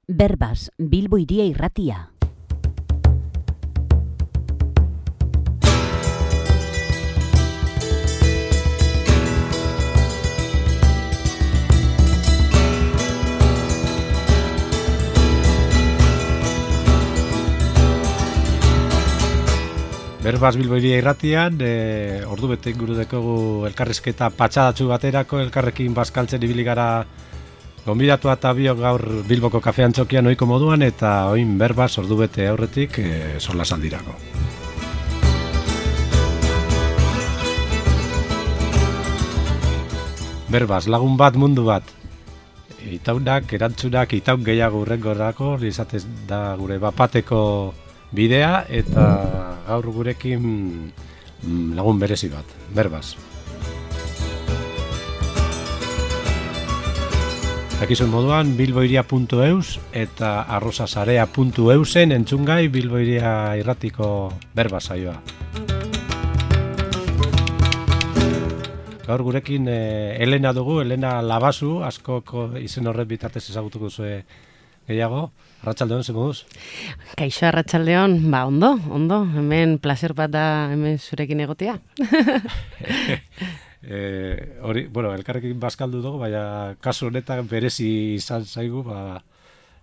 Berbas, Bilbo Hiria Irratia. Berbas Bilbo Hiria Irratian, ordu bete inguru dekogu elkarrizketa patxadatzu baterako, elkarrekin bazkaltzen ibili gara gonbidatu eta biok gaur Bilboko kafean txokian ohiko moduan, eta oin Berbas ordu bete aurretik solasaldirako. Berbas, lagun bat, mundu bat. Itaunak, erantzunak, itaun gehiago urrengorako, izatez da gure bapateko bidea, eta gaur gurekin lagun berezi bat, Berbas. Dakizuen moduan, bilbohiria.eus eta arrosasarea.eusen entzungai Bilbo Hiria Irratiko Berbas saioa. Gaur gurekin Elena dugu, Elena Labazu, askoko izen horret bitartez ezagutuko zuen gehiago. Arratsaldeon, ze moduz? Kaixo, arratsaldeon, ondo, hemen placer bat da hemen zurekin egotea. Elkarrekin bazkaldu dugu, baina kasu honetan berezi izan zaigu,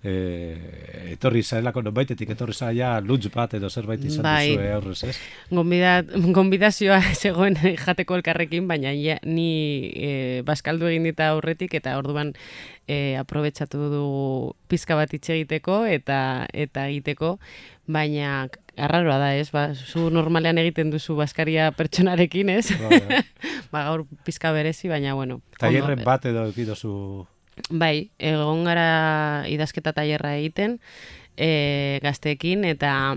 etorri zaelako nonbaitetik, etorri zaila lunch bat edo zerbait izan duzue aurrez, ez? Gonbidazioa zegoen jateko elkarrekin, baina ni bazkaldu egin dita aurretik, eta orduan aprobetxatu du pizka bat hitz egiteko eta egiteko, baina arraroa da, ez? Zu normalean egiten duzu bazkaria pertsonarekin, ez? Gaur pizka berezi, baina bueno. Tailerren bat edo ekidozu? Bai, egon gara idazketa tailerra egiten gazteekin, eta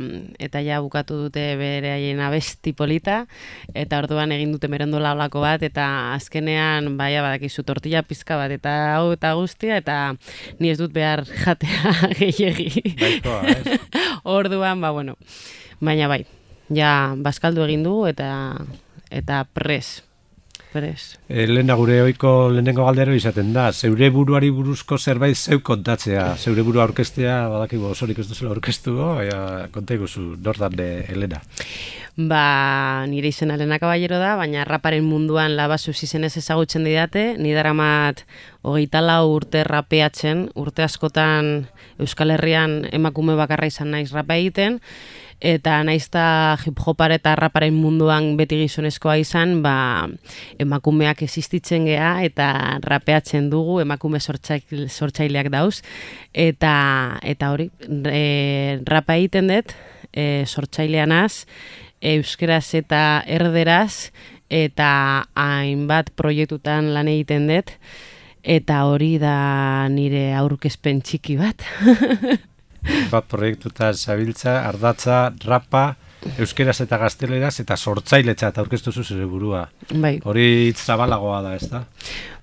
ja bukatu dute beraien abesti polita, eta orduan egin dute merendola olako bat, eta azkenean badakizu tortilla pizka bat, eta hau eta guztia, eta ni ez dut behar jatea gehiegi. Baikoa, ez? Orduan, baina bai, ja bazkaldu egin du, eta pres. Lehena gure ohiko lehenengo galdero izaten da, zeure buruari buruzko zerbait zeu kontatzea, zeure burua aurkeztea, badakigu osorik ez duzula aurkeztu, konta iguzu, nortan Elena? Nire izena Elena Caballero da, baina raparen munduan Labazuz izenez ezagutzen didate, ni daramat 24 urte rapeatzen, urte askotan Euskal Herrian emakume bakarra izan naiz rapa egiten, eta naizta hip-hopare eta raparen munduan beti gizonezkoa izan, emakumeak existitzen gea eta rapeatzen dugu, emakume sortzaileak dauz, eta hori, rapa egiten dut, sortzaileanaz, euskeraz eta erderaz, eta hainbat proiektutan lan egiten dut, eta hori da nire aurkezpen txiki bat. Bat proiektuta zabiltza, ardatza, rapa, euskeraz eta gazteleraz, eta sortzailetza eta aurkeztu zure burua. Bai. Hori hitz zabalagoa da, ez da?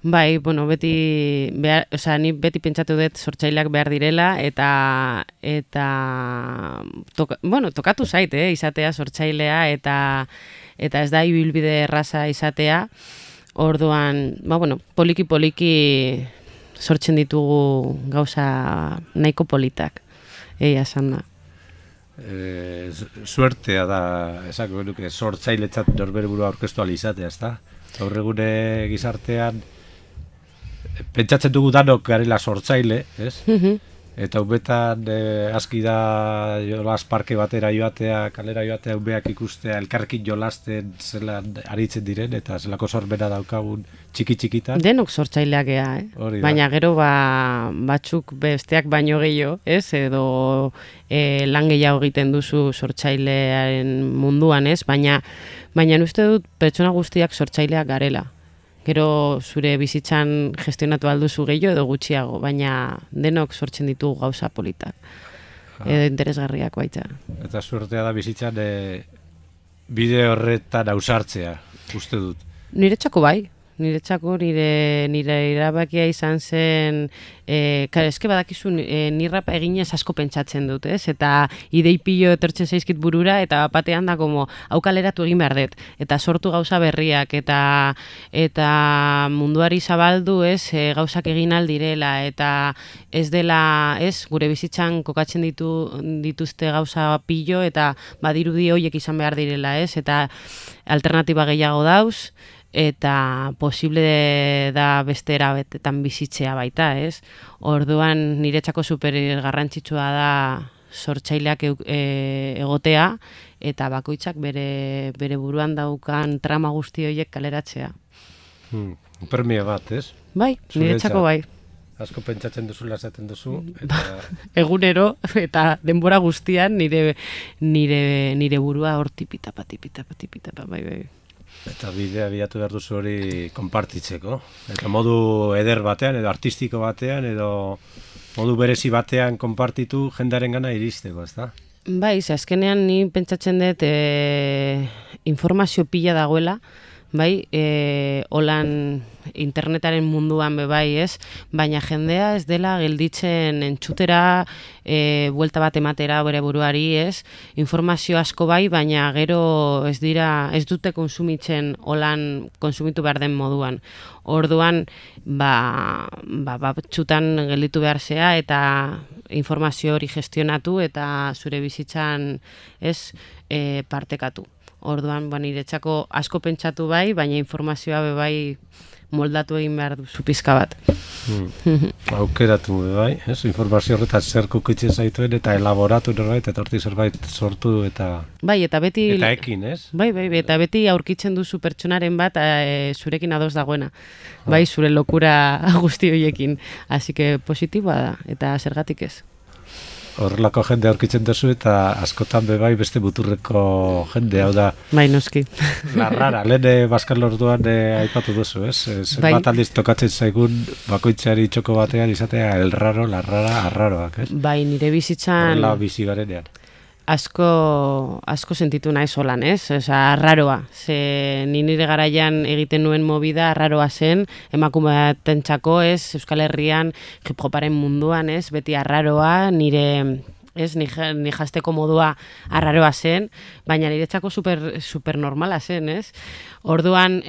Bai, ni beti pentsatu dut sortzaileak behar direla, eta tokatu zait, izatea sortzailea, eta ez da ibilbide erraza izatea. Orduan, poliki sortzen ditugu gauza nahiko politak. Egia esan da. Suertea da, esako genuke, sortzailetzat norbere burua aurkeztu alizatea, ez da? Gaur egune gizartean, pentsatzen dugu danok garela sortzaile, ez? Eta ubetan aski da jolas parke batera joatea, kalera joatea, ubeak ikustea, elkarrekin jolasten zelan aritzen diren, eta zelako sorbena daukagun txiki-txikitan. Denok sortzaileak ea, baina gero batzuk besteak baino gehiago, ez? Edo lan gehiago egiten duzu sortzailearen munduan, ez? Baina uste dut pertsona guztiak sortzaileak garela. Gero zure bizitzan gestionatu alduzu gehiago edo gutxiago, baina denok sortzen ditugu gauza politak. Edo interesgarriak baita. Eta suertea da bizitzan bide horretan ausartzea, uste dut. Niretzako bai. niretzako nire erabakia izan zen, eske badakizu ni rapa eginez asko pentsatzen dut, ez? Eta idei pilo etortzen zaizkit burura, eta batean da como, hau kaleratu egin behar dut, eta sortu gauza berriak, eta munduari zabaldu, ez, gauzak egin aldirela, eta ez dela, ez, gure bizitzan kokatzen dituzte gauza pilo, eta badirudi horiek izan behar direla, ez? Eta alternatiba gehiago dauz, eta posible da beste erabetetan bizitzea baita, ez? Orduan niretzako super garrantzitsua da sortzaileak egotea, eta bakoitzak bere buruan daukan trama guzti horiek kaleratzea. Premia bat, ez? Bai, niretzako bai. Asko pentsatzen duzula esaten duzu. Eta... Egunero, eta denbora guztian nire burua hor tipitapa, bai. Eta bidea bilatu behar duzu hori konpartitzeko. Eta modu eder batean, edo artistiko batean, edo modu berezi batean konpartitu jendaren gana iristeko, ezta? Bai, azkenean ni pentsatzen dut informazio pila dagoela, bai, holan internetaren munduan bai, ez, baina jendea ez dela gelditzen entzutera, buelta bat ematera bere buruari, ez, informazio asko bai, baina gero ez dute konsumitzen holan konsumitu behar den moduan. Orduan, batzutan gelditu behar zea, eta informazio hori gestionatu, eta zure bizitzan, ez, partekatu. Orduan, niretzako asko pentsatu bai, baina informazioa bai moldatu egin behar duzu pizka bat. Aukeratu bai, ez? Informazio horretan zer kukitzen zaituen eta elaboratu norbait, eta hortik zerbait sortu eta... Bai, eta beti... Eta ekin, ez? Bai, eta beti aurkitzen duzu pertsonaren bat zurekin ados dagoena. Bai, zure lokura guzti horiekin. Así que positiboa da, eta zergatik ez. Horrelako jende aurkitzen duzu eta askotan bebai beste muturreko jende, hau da... Bai, noski. Larrara, lehen Baskal Orduan aipatu duzu, ez? Zenbat aldiz tokatzen zaigun bakoitzari txoko batean izatea el raro, la rara, arraroak, ez? Bai, nire bizitzan... Horrela bizi garenean. Asko sentitu naiz holan, ez? Osa, arraroa. Ze nire garaian egiten nuen movida arraroa zen, emakume batentzako, ez? Euskal Herrian, hip-hoparen munduan, ez? Beti arraroa, nire... Ez, ni jasteko modua arraroa zen, baina niretzako super normala zen, ez? Orduan,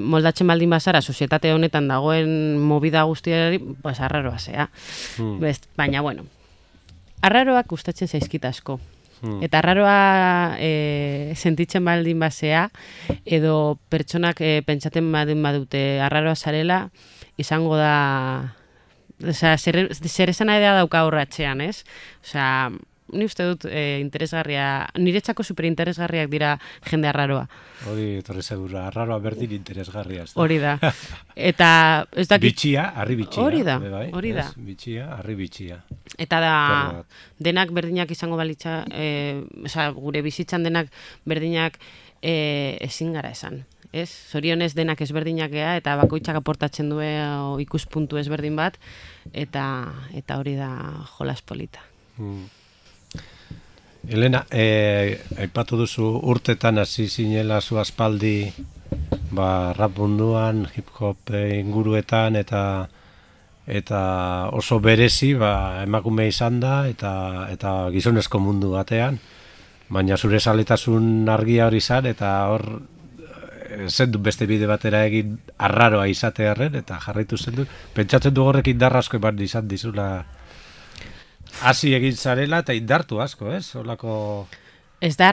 moldatzen baldin bazara, sozietate honetan dagoen movida guztiari, pues arraroa zea. Baina, bueno, arraroak gustatzen zaizkit asko. Eta arraroa sentitzen baldin bazea, edo pertsonak pentsaten baldin badute arraroa zarela, izango da... Osea, zer esan nahi dauka horratxean, ez? Osea, ni uste dut interesgarria, niretzako superinteresgarriak dira jende arraroa. Hori, torre segura, arraroa berdin interesgarria. Hori da. Eta, ez dakit... Bitxia, harri bitxia. Hori da. Bitxia, harri bitxia. Eta da, denak berdinak izango balitza, osea, gure bizitzan denak berdinak ezin gara esan. Ez, zorionez denak ezberdinak gea, eta bakoitzak aportatzen du ikuspuntu ezberdin bat, eta hori da jolas polita. Elena, aipatu duzu urtetan hasi zinela zu aspaldi rap munduan, hip-hop inguruetan, eta oso berezi emakume izan da, eta gizonezko mundu batean, baina zure zaletasun argia hori izan, eta hor zendu beste bide batera egin arraroa izatearren, eta jarraitu zendu. Pentsatzen du horrek indar asko eman izan dizula hasi egin zarela, eta indartu asko, ez? Olako... Ez da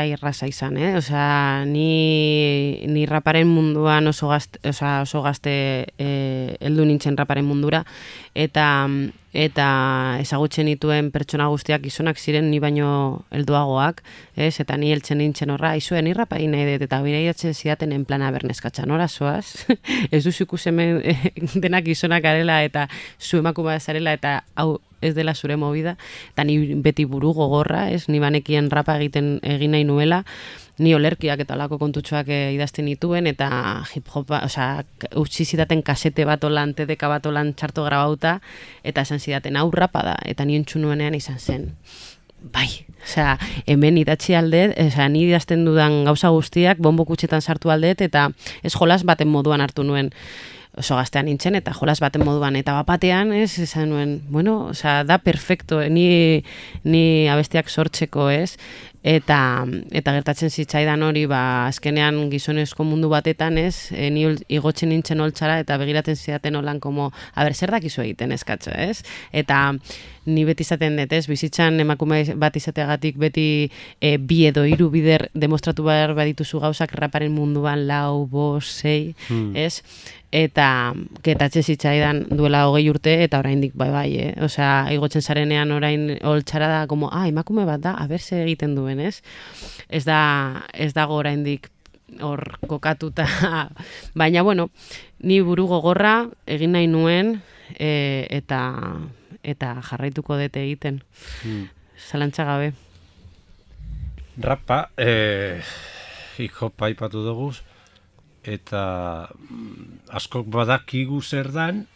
irraza izan, Osea, ni raparen munduan oso gazte heldu nintzen raparen mundura, eta ezagutzen dituen pertsona guztiak gizonak ziren ni baino helduagoak, eta ni heltzen nintzen horra, aizue, ni rapa egin nahi dut, eta birairatzen zidaten en plana berneskatza, nora zoaz? Ez duzu ikusemen denak gizonak garela, eta zu emakumea zarela, eta hau ez dela zure movida, eta ni beti buru gogorra, ni banekien rapa egin nahi nuela, ni olerkiak eta olako kontutxoak idazten dituen, eta hip-hopa, osea, utzi zidaten kasete bat olan, TDK bat olan txarto grabauta, eta esan zidaten hau rapa da, eta ni entzun nuenean izan zen. bai, osea, hemen idatzi aldet, osea, ni idazten dudan gauza guztiak bonbo kutxetan sartu aldet, eta ez jolas baten moduan hartu nuen, oso gaztean nintzen, eta jolas baten moduan, eta bapatean, esan nuen, bueno, osea, da perfecto, ni abestiak sortzeko, eta gertatzen zitzaidan hori, azkenean gizonezko mundu batetan, ni igotzen nintzen holtzara, eta begiraten zidaten holan, a ber, zer dakizu egiten eskatzo, eta ni beti izaten dut, bizitzan emakume bat izateagatik beti bi edo hiru bider demostratu behar badituzu gauzak raparen munduan 4, 5, 6, eta gertatzen zitzaidan duela 20 urte, eta oraindik bai, osea, igotzen zarenean orain holtzara da, emakume bat da, aber ze egiten duen, ez dago oraindik hor kokatuta, baina, bueno, ni buru gogorra egin nahi nuen, eta jarraituko dut egiten, zalantza gabe. Rapa, hip-hopa aipatu dugu, eta askok badakigu zer dan,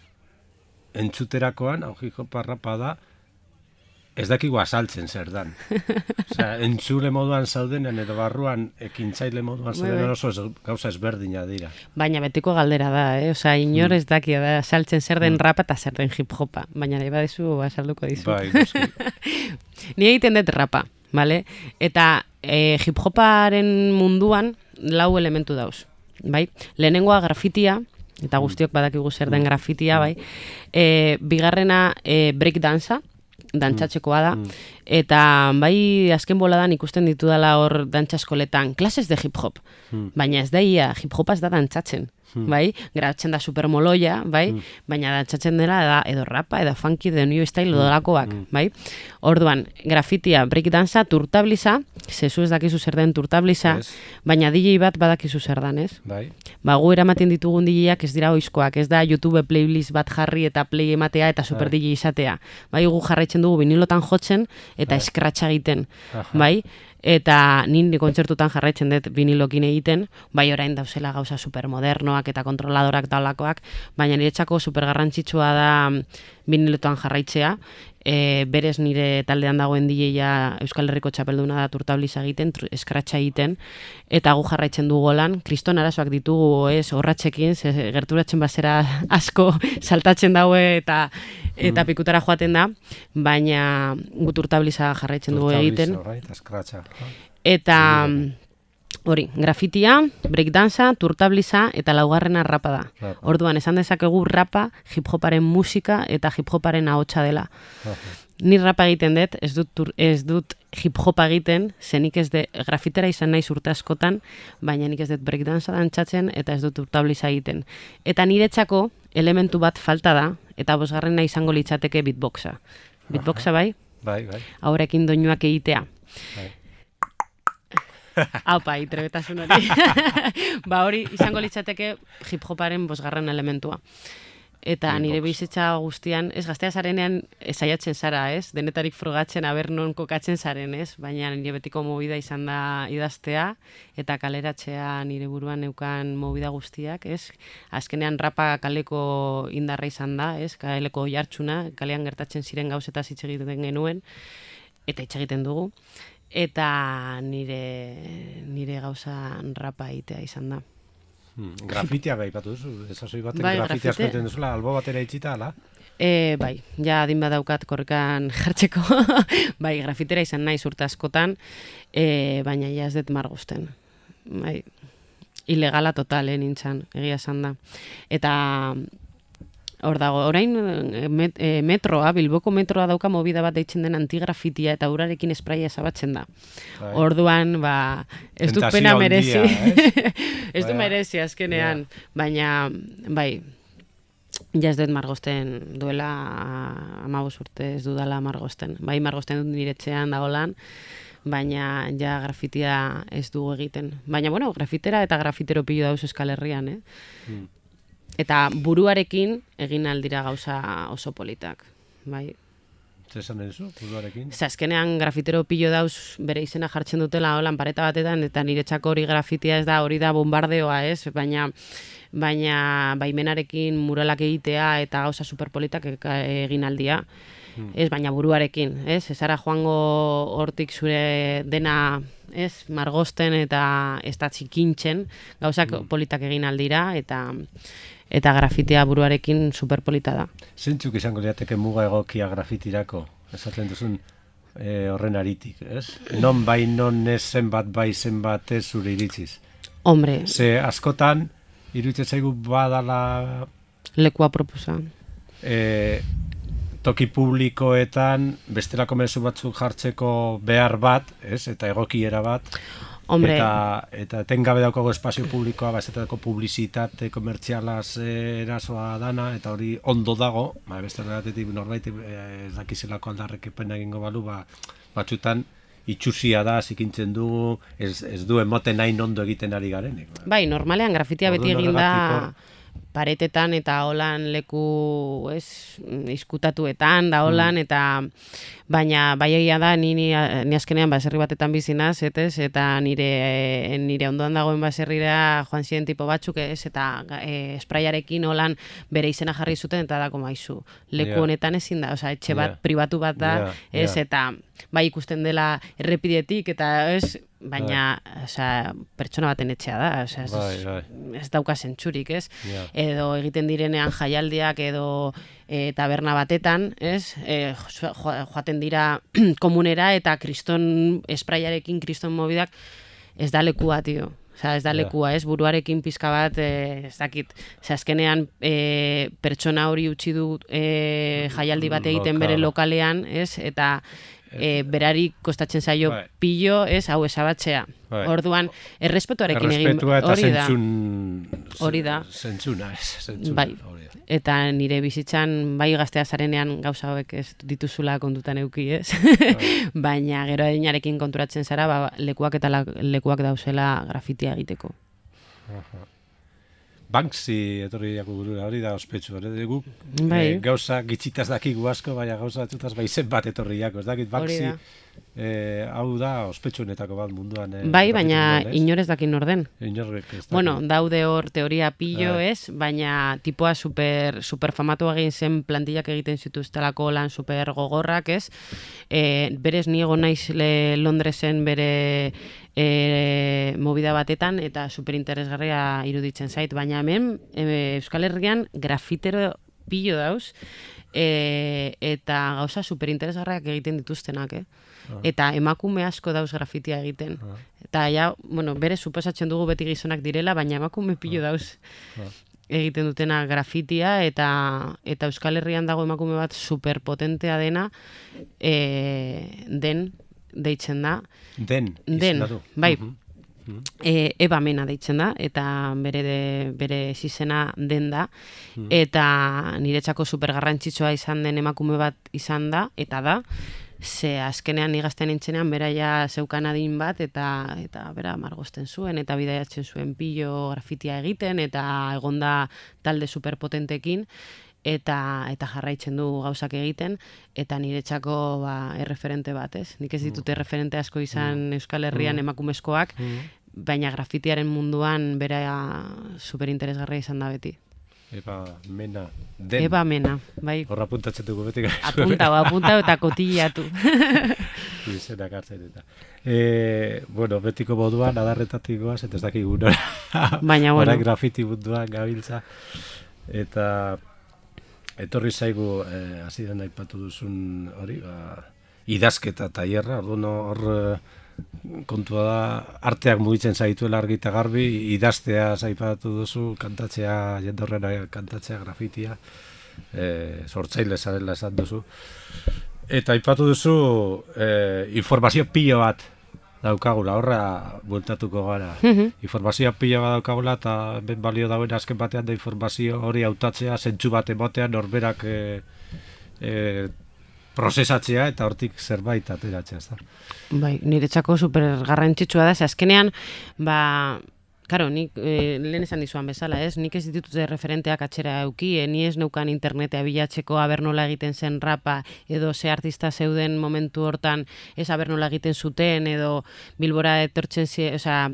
entzuterakoan, hip-hopa rapa da, ez dakigu azaltzen zer dan. Osea, entzule moduan zaudenean edo barruan ekintzaile moduan zaudenean oso gauza ezberdina dira. Baina betiko galdera da, osea, inor ez daki da azaltzen zer den rapa eta zer den hip-hopa, baina nahi badezu azalduko dizu. Bai, noski. Ni egiten dut rapa, vale? Eta hip-hoparen munduan 4 elementu dauz, bai? Lehenengoa grafitia, eta guztiok badakigu zer den grafitia, bai? Bigarrena breakdansa, dantzatzekoa da, eta bai azken boladan ikusten ditudala hor dantzaskoletan klases de hip-hop, baina ez da ia, hip-hopa ez da dantzatzen, bai? Grabatzen da supermoloia, bai? Baina dantzatzen dela da edo rapa, edo funky, edo new style, edo dalakoak, bai? Orduan, grafitia, breakdansa, turtabliza, zezu ez dakizu zer den turtabliza, baina DJ bat badakizu zer dan, ez? Bai. Gu eramaten ditugun DJak ez dira oizkoak, ez da YouTube playlist bat jarri eta play ematea eta super DJ izatea. Bai, gu jarraitzen dugu vinilotan jotzen eta eskratxa egiten, bai? Eta nire kontzertutan jarraitzen dut vinilokin egiten, bai orain dauzela gauza supermodernoak eta kontroladorak daulakoak, baina niretzako supergarrantzitsua da vinilotan jarraitzea, berez nire taldean dagoen DJ-a Euskal Herriko txapelduna da turtabliza egiten, eskratxa egiten, eta gu jarraitzen dugu lan, kriston arazoak ditugu horratxekin, gerturatzen bazera asko saltatzen daue eta pikutara joaten da, baina gu turtabliza jarraitzen dugu egiten. Eta hori, grafitia, breakdansa, turtabliza eta 4. rapa da. Orduan, esan dezakegu rapa hip-hoparen musika eta hip-hoparen ahotsa dela. Ni rapa egiten dut, ez dut hip-hopa egiten, zenik ez de grafitera izan naiz urte askotan, baina nik ez dut breakdansa dantzatzen eta ez dut turtabliza egiten. Eta niretzako elementu bat falta da, eta 5. izango litzateke beatboxa. Beatboxa bai? Bai. Haurekin doinuak egitea. Bai. Aupa, itrebetasun hori. Hori izango litzateke hip-hoparen 5. elementua. Eta nire bizitza guztian, ez gaztea zarenean saiatzen zara, ez? Denetarik frogatzen aber non kokatzen zaren, ez? Baina nire betiko movida izan da idaztea eta kaleratzea nire buruan neukan movida guztiak, ez? Azkenean rapa kaleko indarra izan da, ez? Kaleko jartxuna, kalean gertatzen ziren gauzetaz hitz egiten genuen, eta hitz egiten dugu. Eta nire gauza rapa egitea izan da. Grafitia gaipatu duzu, ezazoi baten grafitia askoetan duzula, albo batera itxita, ala? Bai, ja adin badaukat korrikan jartzeko, bai, grafitera izan naiz urte askotan, baina ja ez dut margozten. Bai, ilegala total, nintzen, egia esan da. Eta hor dago, orain metroa, Bilboko metroa dauka movida bat deitzen den antigrafitia eta urarekin espraia ezabatzen da. Orduan, ez dut pena merezi. Ez du merezi azkenean, baina, bai, ja ez dut margozten duela 15 urte ez dudala margozten. Bai, margozten dut niretzean dagolan, baina ja grafitia ez dugu egiten. Baina, bueno, grafitera eta grafitero pilo dauz Euskal Herrian, Eta buruarekin egin aldira gauza oso politak, bai. Zesan duzu, buruarekin? Azkenean grafitero pilo dauz bere izena jartzen dutela holan pareta batetan, eta niretzako hori grafitia ez da, hori da bombardeoa, ez? Baina baimenarekin muralak egitea eta gauza superpolitak egin aldia. ez, baina buruarekin, ez, ezara joango hortik zure dena, ez, margosten eta ez da txikintzen, gauzak politak egin aldira, eta grafitia buruarekin superpolita da. Zentzuk izango liateke muga egokia grafitirako, esaten duzun horren aritik, ez? Non bai, non ez, zenbat bai, zenbat ez zure iritziz. Hombre. Ze askotan, iruditzen zaigu badala lekua proposa. Toki publikoetan bestelako mezu batzuk jartzeko behar bat, ez? Eta egokiera bat. Hombre. Eta etengabe daukago espazio publikoa, esatetako publizitate komertzialaz erasoa dana, eta hori ondo dago, beste horretatik norbait ez dakizelako aldarrekepen egingo balu, batzutan itxusia da, zikintzen dugu, ez du emoten nahi ondo egiten ari garenik. Bai, normalean grafitia beti egin da paretetan eta holan leku, ez, izkutatuetan da holan, eta baina bai egia da, ni azkenean baserri batetan bizinaz, eta nire ondoan dagoen baserrira joan ziren tipo batzuk, ez, eta espraiarekin holan bere izena jarri zuten, eta da komaizu, leku honetan ezin da, osea, etxe bat, pribatu bat da, ez, eta bai ikusten dela errepidetik, eta ez, baina, osea, pertsona baten etxea da, osea, ez dauka zentzurik, ez? Edo egiten direnean jaialdiak edo taberna batetan, ez? Joaten dira komunera eta kriston espraiarekin, kriston mobidak, ez da lekua, tio. Osea, ez da lekua, ez? Buruarekin pizka bat, ez dakit. Osea, azkenean pertsona hori utzi du jaialdi bat egiten bere lokalean, ez? Eta berari kostatzen zaio pilo, ez, hau esabatzea. Orduan, errespetuarekin egin hori da. Zentzuna, ez. Bai. Eta nire bizitzan, bai gaztea zarenean gauza hauek ez dituzula kontutan euki, ez? Baina gero adinarekin konturatzen zara, lekuak eta lekuak dauzela grafitia egiteko. Banksy etorri diako burura, hori da ospetsu, guk gauza gitxitaz dakigu asko, baina gauza batzutaz izen bat etorri diako, ez dakit Banksy, hau da ospetsuenetako bat munduan. Bai, baina inorez dakin orden. Inorrek ez dakin. Bueno, daude hor teoria pillo ez, baina tipoa super famatu egin zen plantillak egiten zituztelako lan super gogorrak ez, berez niego naiz Londresen bere movida batetan eta superinteresgarria iruditzen zait, baina hemen Euskal Herrian grafitero pillo dauz eta gauza superinteresgarriak egiten dituztenak, eta emakume asko dauz grafitia egiten. Eta ja, bueno, bere suposatzen dugu beti gizonak direla, baina emakume pillo dauz egiten dutena grafitia, eta Euskal Herrian dago emakume bat superpotentea dena, deitzen da. Den, bai. Eba Mena deitzen da, eta bere zizena Den da, eta niretzako supergarrantzitsua izan den emakume bat izan da, eta da, ze azkenean igazten nintzenean beraia zeukan adin bat, eta bera margosten zuen, eta bidaiatzen zuen pillo grafitia egiten, eta egonda talde superpotentekin, eta jarraitzen du gauzak egiten, eta niretzako erreferente bat, ez? Nik ez ditut erreferente asko izan Euskal Herrian emakumezkoak, baina grafitiaren munduan bera superinteresgarria izan da beti. Eba Mena, Den. Eba Mena, bai. Horra apuntatzen dugu beti. Apuntau eta kotillatu. Izenak hartzen eta. Bueno, betiko moduan, adarretatik goaz, eta ez dakik unora. Baina, bueno. Horak grafiti munduan gabiltza. Eta etorri zaigu, hasieran aipatu duzun hori, idazketa tailerra, orduan hor kontua da, arteak mugitzen zaituela argi eta garbi, idaztea aipatu duzu, kantatzea, jendorrena kantatzea, grafitia, sortzaile zarela esan duzu. Eta aipatu duzu, informazio pilo bat daukagula, horra bueltatuko gara. Informazioa pilo bat daukagula, eta ben balio dauen azken batean da informazio hori hautatzea, zentzu bat ematean norberak prozesatzea eta hortik zerbait ateratzea, ez da. Bai, niretzako super garrantzitsua da, azkenean, karo, nik lehen esan dizuan bezala, ez? Nik ez ditutze referenteak atxera euki, ni ez neukan internetea bilatzeko aber nola egiten zen rapa, edo ze artista zeuden momentu hortan ez aber nola egiten zuten, edo Bilbora etortzen osea,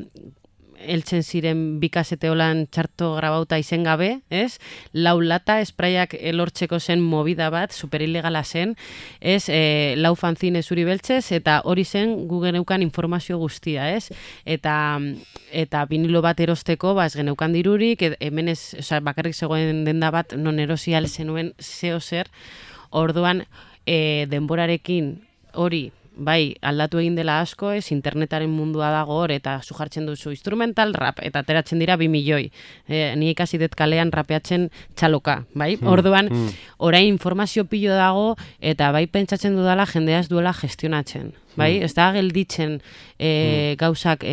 heltzen ziren bikasete holan txarto grabauta izen gabe, ez? 4 lata espraiak lortzeko zen movida bat, superilegala zen, ez? 4 fanzine zuri beltzez, eta hori zen gu geneukan informazio guztia, ez? Eta vinilo bat erosteko, ez geneukan dirurik, hemen ez, bakarrik zegoen denda bat, non erosi zenuen zeo zer, orduan denborarekin hori, bai, aldatu egin dela asko, ez internetaren mundua dago hor, eta zu jartzen duzu instrumental rap, eta ateratzen dira 2 milioi. Ni ikasi dut kalean rapeatzen txaloka, bai? Orduan, orain informazio pilo dago, eta bai pentsatzen dudala jendea ez duela gestionatzen, bai? Ez da gelditzen gauzak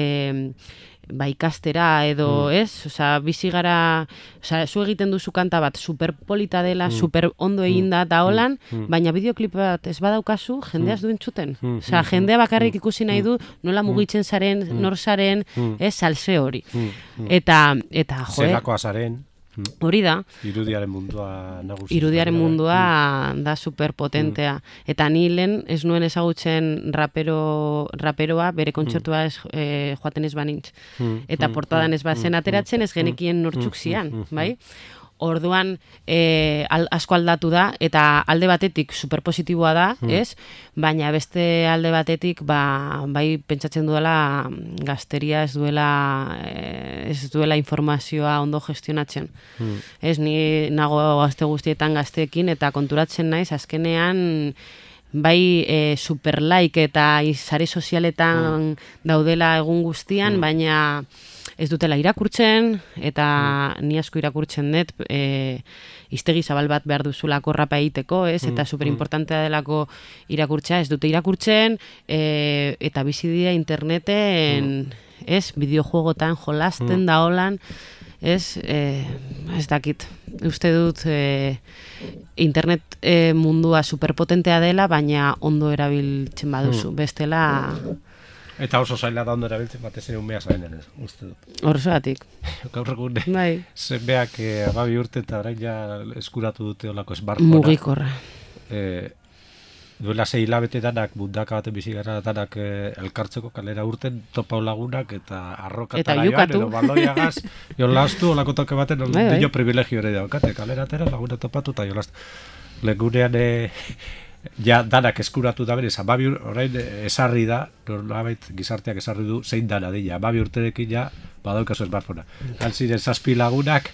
ikastera edo, ez? Osea, bizi gara, zu egiten duzu kanta bat superpolita dela, super ondo eginda eta holan, baina bideoklip bat ez badaukazu, jendea ez du entzuten. Osea, jendea bakarrik ikusi nahi du nola mugitzen zaren, nor zaren, ez, salse hori. Eta joe, Zelakoa zaren. hori da. Irudiaren mundua nagusi. Irudiaren mundua da superpotentea. Eta ni lehen ez nuen ezagutzen raperoa bere kontzertua joaten ez banintz. Eta portadan ez bazen ateratzen ez genekien nortzuk zian, bai? Orduan asko aldatu da, eta alde batetik superpositiboa da, ez? Baina beste alde batetik, bai pentsatzen duela gazteria ez duela informazioa ondo gestionatzen. Ez, ni nago gazte guztietan gazteekin, eta konturatzen naiz, azkenean bai superlaik eta sare sozialetan daudela egun guztian, baina ez dutela irakurtzen, eta ni asko irakurtzen dut, hiztegi zabal bat behar duzulako rapa egiteko, ez? Eta superimportantea delako irakurtzea, ez dute irakurtzen, eta bizi dira interneten, ez? Bideojuegotan jolasten da holan, ez dakit. Uste dut internet mundua superpotentea dela, baina ondo erabiltzen baduzu. Bestela... Eta oso zaila da ondo erabiltzen batez ere umea zainen, uste dut. Horregatik. Gaur egun, bai. zenbeak 12 urte eta orain ja eskuratu dute olako smartphonea. Mugikorra. Duela 6 hilabete danak, mundaka baten bizi gara danak elkartzeko kalera urten topa lagunak eta arrokatara joan, edo baloiagaz, jolastu, olako toke baten, dio privilegio ere daukate, kalera atera laguna topatu eta jolastu. Legunean ja danak eskuratu da berez, 12 orain esarri da, nolabait gizarteak esarri du zein dana dira, 12 urterekin ja badaukazu smartphonea. Ziren 7 lagunak,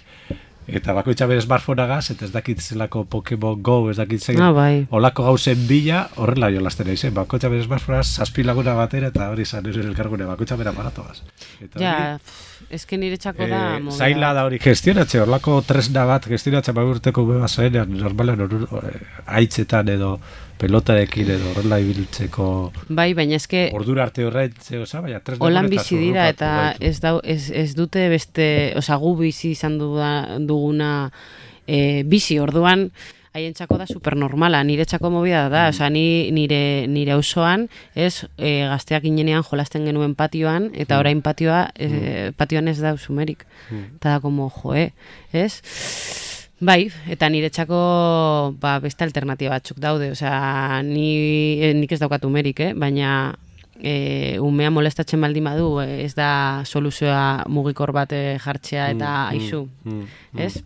eta bakoitza bere smartphoneagaz, eta ez dakit zelako Pokemon Go, ez dakit zein, olako gauzen bila, horrela jolasten eizen, bakoitza bere smartphoneagaz 7 laguna batera, eta hori zan ere elkargune, bakoitza bere aparatoagaz. Ja, eske nire txako da... Zaila da hori gestionatze, horlako tresna bat gestionatze urteko beba zaenean, normalen haitzetan edo pelotarekin edo horrela ibiltzeko... Bai, baina eske... Ordura arte horrein, baina tresna... Holan bizi dira eta ez dute beste... Osa, gu bizi izan duguna bizi, orduan... Haientzako da supernormala, niretzako movida da, osea, nire auzoan, ez, gazteak inenean jolasten genuen patioan, eta orain patioan ez da usumerik. Eta da, como, joe, ez? Bai, eta niretzako beste alternatiba batzuk daude, osea, nik ez daukat umerik, baina umea molestatzen baldin badu, ez da soluzioa mugikor bat jartzea eta aizu, ez?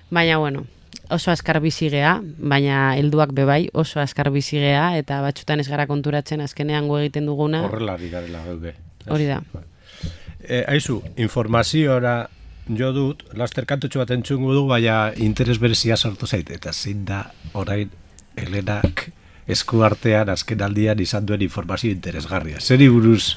Baina, bueno, oso azkar bizigea, baina helduak bebai oso azkar bizigea, eta batzutan ez gara konturatzen azkenean gu egiten duguna. Horrela garela geude. Hori da. Aizu, informaziora jo dut, laster kantutxo bat entzungu du, baina interes berezia sortu zait, eta zein da orain Helenak esku artean azken aldian izan duen informazio interesgarria. Zeri buruz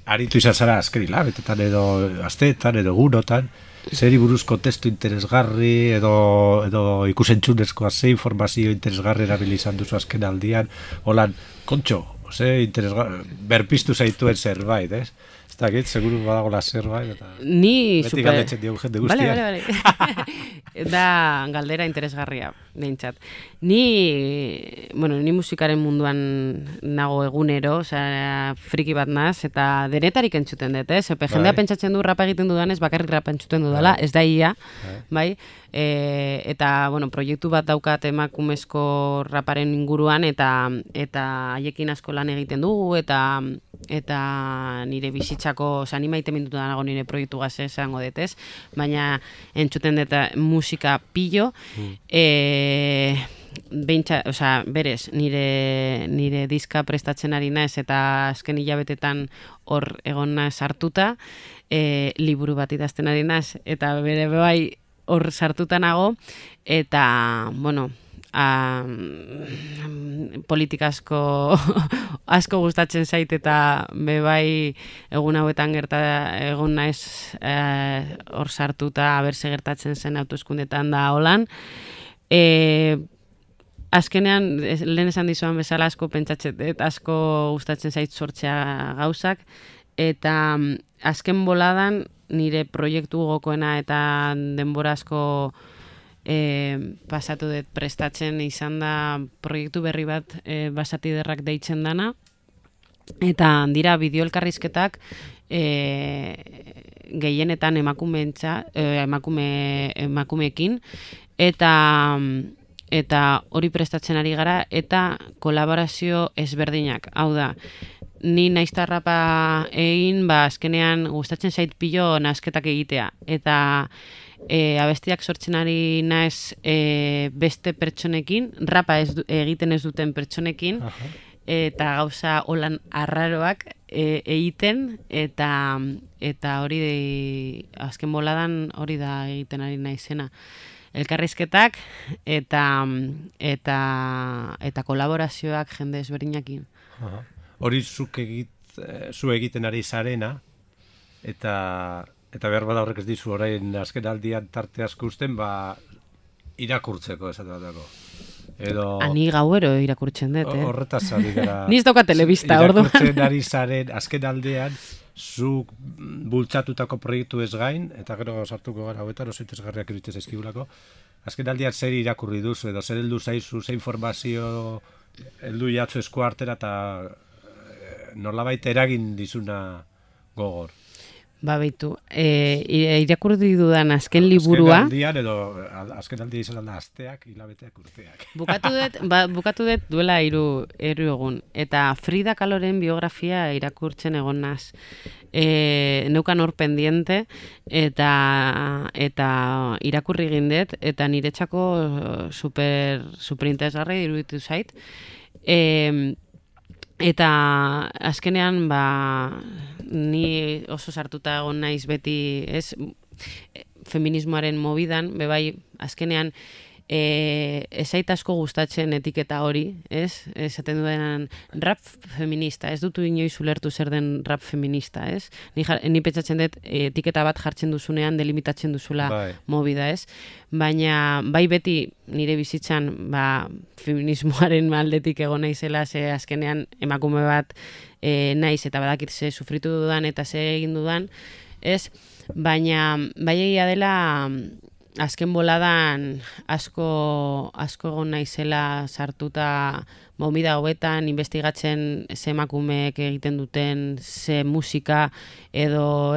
aritu izan zara azken hilabetetan edo asteetan edo gunotan, zeri buruzko testu interesgarri edo ikusentzunezkoa ze informazio interesgarri erabili izan duzu azken aldian, holan, kontxo, berpiztu zaituen zerbait, ez? Ez dakit, seguru badagoela zerbait, eta beti galdetzen diogu jende guztiak. Vale. Da galdera interesgarria, behintzat. Ni musikaren munduan nago egunero, osea, friki bat naz, eta denetarik entzuten dut, ez? Jendea pentsatzen du rapa egiten dudanez, bakarrik rapa entzuten dudala, ez da ia, bai? Eta, proiektu bat daukat emakumezko raparen inguruan, eta haiekin asko lan egiten dugu, eta eta nire bizitzako, ni maite mindutu nago nire proiektu gaz esango detez, baina entzuten dut musika pillo, berez, nire diska prestatzen ari naiz eta azken hilabetetan hor egon naiz hartuta, liburu bat idazten ari naiz, eta bere bai hor sartuta nago, eta, bueno, politika asko gustatzen zait eta bebai egun hauetan egon naiz hor sartuta aberse gertatzen zen hauteskundetan da holan. Azkenean, lehen esan dizuan bezala asko pentsatzen, asko gustatzen zait sortzea gauzak, eta azken boladan nire proiektu gokoena eta denbora asko pasatu dut prestatzen izan da proiektu berri bat basatiderrak deitzen dana, eta dira bideo elkarrizketak gehienetan emakumeekin, eta hori prestatzen ari gara, eta kolaborazio ezberdinak, hau da, ni naizta rapa egin, azkenean gustatzen zait pilo nasketak egitea, eta abestiak sortzen ari naiz beste pertsonekin, rapa egiten ez duten pertsonekin, eta gauza holan arraroak egiten, eta hori azken boladan hori da egiten ari naizena. Elkarrizketak eta kolaborazioak jende ezberdinakin. Hori zu egiten ari zarena, eta behar bada horrek ez dizu orain azken aldian tarte asko usten, irakurtzeko esate batako. Ani gauero irakurtzen dut, Horretaz ari gara. Niz dauka telebista, ordu. Irakurtzen ari zaren azken aldean, zu bultzatutako proiektu ez gain, eta gero sartuko gara hauetan, oso interesgarriak iruditzen zaizkigulako. Azken aldean zer irakurri duzu, edo zer heldu zaizu, zer informazio heldu jatzu esku artera, eta nolabait eragin dizuna gogor. Beitu, irakurri dudan azken liburua... Azken aldia izan da asteak, hilabeteak, urteak. Bukatu dut duela 3 egun. Eta Frida Kahloren biografia irakurtzen egon naz. Neukan hor pendiente, eta irakurri egin dut, eta niretzako super interesgarri iruditu zait. Eta azkenean ni oso sartuta egon naiz beti, feminismoaren mobidan, bebai azkenean ezait asko gustatzen etiketa hori, esaten duenan rap feminista, ez dutu inoiz ulertu zer den rap feminista, ni pentsatzen dut etiketa bat jartzen duzunean delimitatzen duzula mobida, baina bai beti nire bizitzan feminismoaren aldetik egon naizela, ze azkenean emakume bat naiz eta badakit ze sufritu dudan eta ze egin dudan, baina bai egia dela azken boladan asko egon naizela sartuta movida hauetan, investigatzen ze emakumeek egiten duten, ze musika edo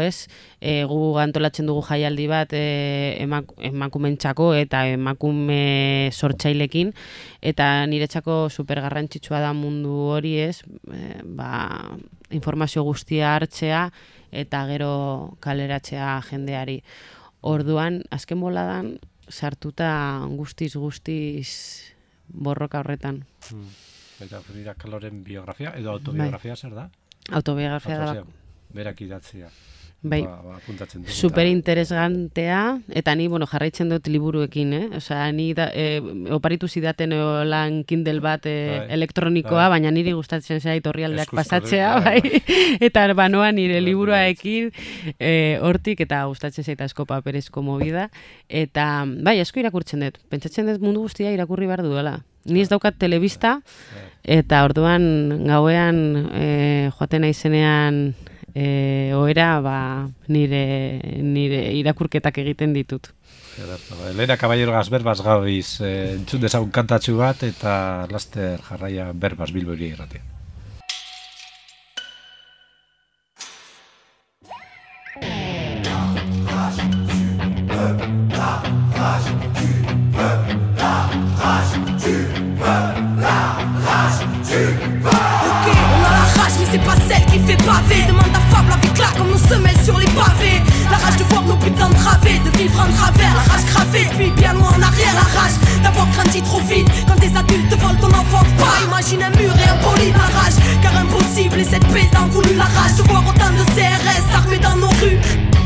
gu antolatzen dugu jaialdi bat emakumentzako eta emakume sortzailekin, eta niretzako super garrantzitsua da mundu hori, informazio guztia hartzea eta gero kaleratzea jendeari. Orduan, azken boladan, sartuta guztiz borroka horretan. Eta Frida Kahloren biografia, edo autobiografia zer da? Autobiografia da. Berak idatzia. Bai, super interesgantea, eta ni, jarraitzen dut liburuekin, ni oparitu zidaten lan Kindle bat elektronikoa, baina niri gustatzen zait orrialdeak pasatzea, eta banoa nire liburuaekin hortik, eta gustatzen zait asko paperezko movida, eta asko irakurtzen dut, pentsatzen dut mundu guztia irakurri behar duela. Ni ez daukat telebista, eta orduan gauean joaten naizenean oera nire irakurketak egiten ditut. Elena Caballero berbaz gabiz entzun dezagun kantatxu bat, eta laster jarraia berbaz Bilbo Hiria Irratia. C'est pas celle qui fait se mêle sur les pavés. La rage de voir nos putains través, de vivre en travers. La rage gravée depuis bien loin en arrière. La rage d'avoir grandi trop vite quand des adultes volent ton enfance. Pas imagine un mur et un poli. La rage car impossible et cette paix t'en voulu. La rage de voir autant de CRS armés dans nos rues.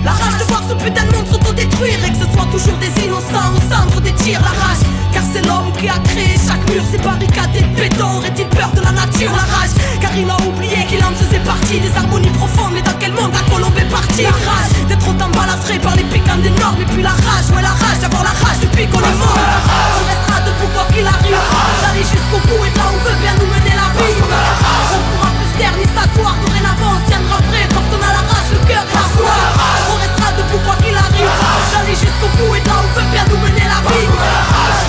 La rage de voir ce putain de monde s'autodétruire et que ce soit toujours des innocents au centre des tirs. La rage car c'est l'homme qui a créé chaque mur. Ces barricades et de béton. Aurait-il peur de la nature? La rage car il a oublié qu'il en faisait partie. Des harmonies profondes, mais dans quel monde la colombe est partie? La rage d'être autant balafré par les piquants des normes. Et puis la rage, ouais la rage d'avoir la rage depuis qu'on est mort. On restera debout quoi qu'il arrive, d'aller jusqu'au bout et de là on veut bien nous mener la vie. On pourra plus se taire ni s'asseoir. Dorénavant on se tiendra prêt parce qu'on a la rage, le cœur et la foi. On restera debout quoi qu'il arrive, d'aller jusqu'au bout et de là on veut bien nous mener la vie.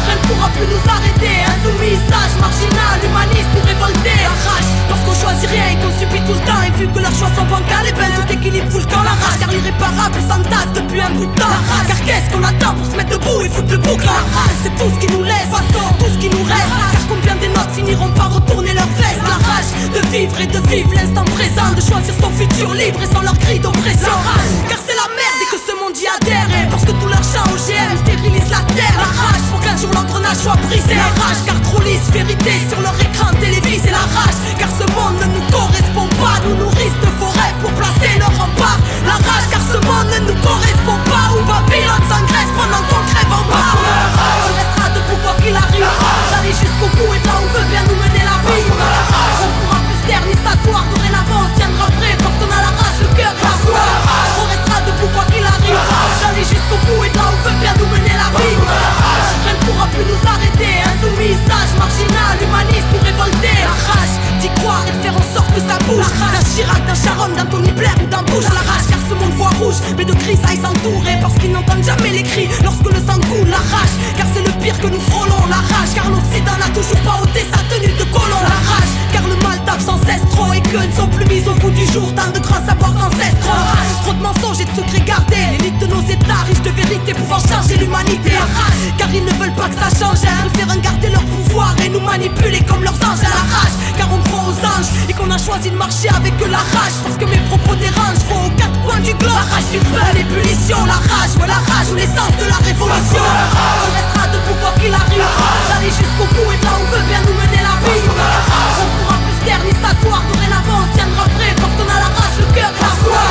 Rien ne pourra plus nous arrêter. Insoumis, sage, marginal, humaniste ou révolté. La rage parce qu'on choisit rien et qu'on subit tout le temps. Et vu que leurs choix sont bancals, et ben tout équilibre fout le camp. La rage car l'irréparable s'entasse depuis un bout de temps. La rage car qu'est-ce qu'on attend pour se mettre debout et foutre le bouc. La rage c'est tout ce qui nous laisse, tout ce qui nous reste. Car combien des notes finiront par retourner leurs vestes. La rage de vivre et de vivre l'instant présent, de choisir son futur libre et sans leur cri d'oppression. La rage car c'est la merde et que ce monde y adhère. Et parce que tout leur chant OGM stérilise la terre. La rage pour qu'un jour l'engrenage soit brisé. La rage car trop lisse vérité sur leur écran télévisé. La rage car ce monde ne nous correspond pas. Nous nourrissent de faux rêves pour placer leur rempart. La rage car ce monde ne nous correspond pas. Où Babylone s'engraisse pendant qu'on crève en bas. On restera debout quoi qu'il arrive, d'aller jusqu'au bout et de là on veut bien nous mener la vie. On pourra plus se taire ni s'asseoir. Dorénavant on se tiendra prêt parce qu'on a la rage, le cœur et la foi. On restera debout quoi qu'il arrive, d'aller jusqu'au bout et de là on veut bien nous mener la vie. Rien ne pourra plus nous arrêter. Insoumis, sage, marginal, humaniste ou révolté. La rage d'y croire et de faire en sorte que ça bouge. D'un Chirac, d'un Sharon, d'un Tony Blair ou d'un Bush. La rage car ce monde voit rouge, mais de gris ça y s'entourer. Parce qu'ils n'entendent jamais les cris lorsque le sang coule. La rage car c'est le pire que nous frôlons. La rage car l'Occident n'a toujours pas ôté sa tenue de colon. La rage car le mal tape sans cesse trop et que ne sont plus mis au bout du jour tant de grands savoirs ancestraux. Trop de mensonges et de secrets gardés. L'élite de nos états riches de vérité pouvant changer l'humanité. La rage car ils ne veulent pas que ça change. Ils préfèrent garder leur pouvoir et nous manipuler comme leurs anges. À la rage car on croit aux anges et qu'on a choisi de marcher avec la rage. Parce que mes propos dérangent, vont aux quatre coins du globe. La rage du peuple, l'ébullition, la rage, ouais la rage ou l'essence de la révolution. On restera debout quoi qu'il arrive, d'aller jusqu'au bout et de là on veut bien nous mener la vie. On pourra plus se taire ni s'asseoir. Dorénavant on se tiendra prêt parce qu'on a la rage, le cœur et la foi.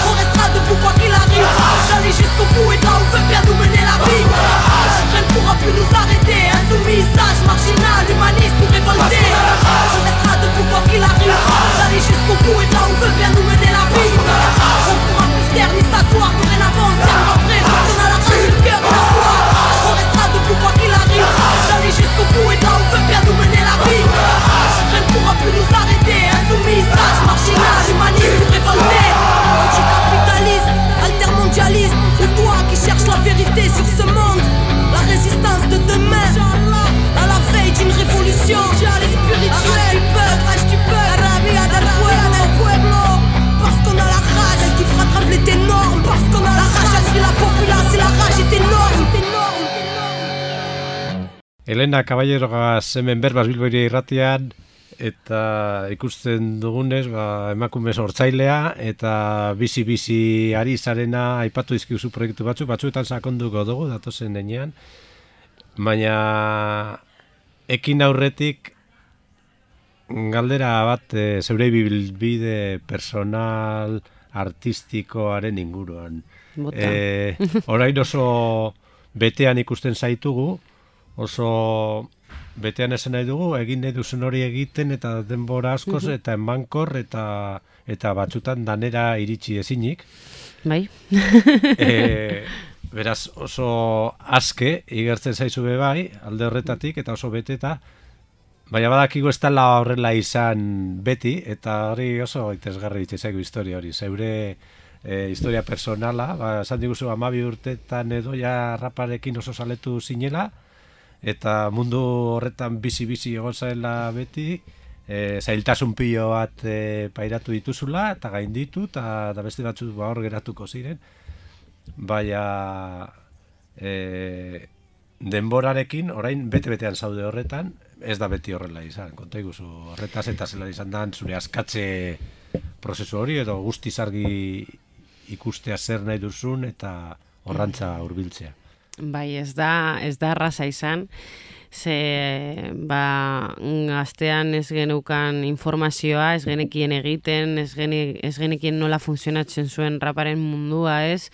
On restera debout quoi qu'il arrive, d'aller jusqu'au bout et de là on veut bien nous mener la vie. Rien ne pourra plus nous arrêter. Insoumis, sage, marginal, humaniste ou révolté. On restera debout quoi qu'il arrive, d'aller jusqu'au bout et de là on veut bien nous mener la vie. On pourra plus se taire ni s'asseoir. Dorénavant on se tiendra prêt parce qu'on a la rage, le cœur et la foi. On restera debout quoi qu'il arrive, d'aller jusqu'au bout et de là on veut bien nous mener la vie. Rien ne pourra plus nous arrêter. Insoumis, sage, marginal, humaniste ou révolté. Anticapitaliste, altermondialiste, ou toi qui cherches la vérité sur ce monde. La résistance de demain, à la veille d'une révolution. Rage du peuple, rabia del pueblo. Parce qu'on a la rage, elle qui fera trembler tes normes. Parce qu'on a la rage, elle crie la populace et la rage est énorme. Elena Caballerogaz hemen berbaz Bilboiria irratian, eta ikusten dugunez, emakume sortzailea, eta bizi-bizi ari zarena aipatu dizkizu proiektu batzuetan sakonduko dugu, datozen denean, baina ekin aurretik galdera bat zeure bilbide personal artistikoaren inguruan. Orain oso betean ikusten zaitugu, oso betean esan nahi dugu, egin nahi duzen hori egiten eta denbora askoz eta emankor eta batzutan danera iritsi ezinik. Bai. Beraz oso aske igertzen zaizu be bai, alde horretatik eta oso beteta, baina badakigu ez dela horrela izan beti, eta hori oso interesgarri ditzaigu historia hori, zeure historia personala, esan diguzu 12 urtetan edo ja raparekin oso saletu zinela, eta mundu horretan bizi-bizi egon zaela beti, zailtasun pilo bat pairatu dituzula, eta gainditu, eta beste batzuk hor geratuko ziren, baina denborarekin, orain bete-betean zaude horretan, ez da beti horrela izan, konta iguzu, horretaz eta zela izan da zure askatze prozesu hori, edo guztiz argi ikustea zer nahi duzun eta horrantza hurbiltzea. Bai, ez da erraza izan, ze gaztean ez geneukan informazioa, ez genekien egiten, ez genekien nola funtzionatzen zuen raparen mundua, ez?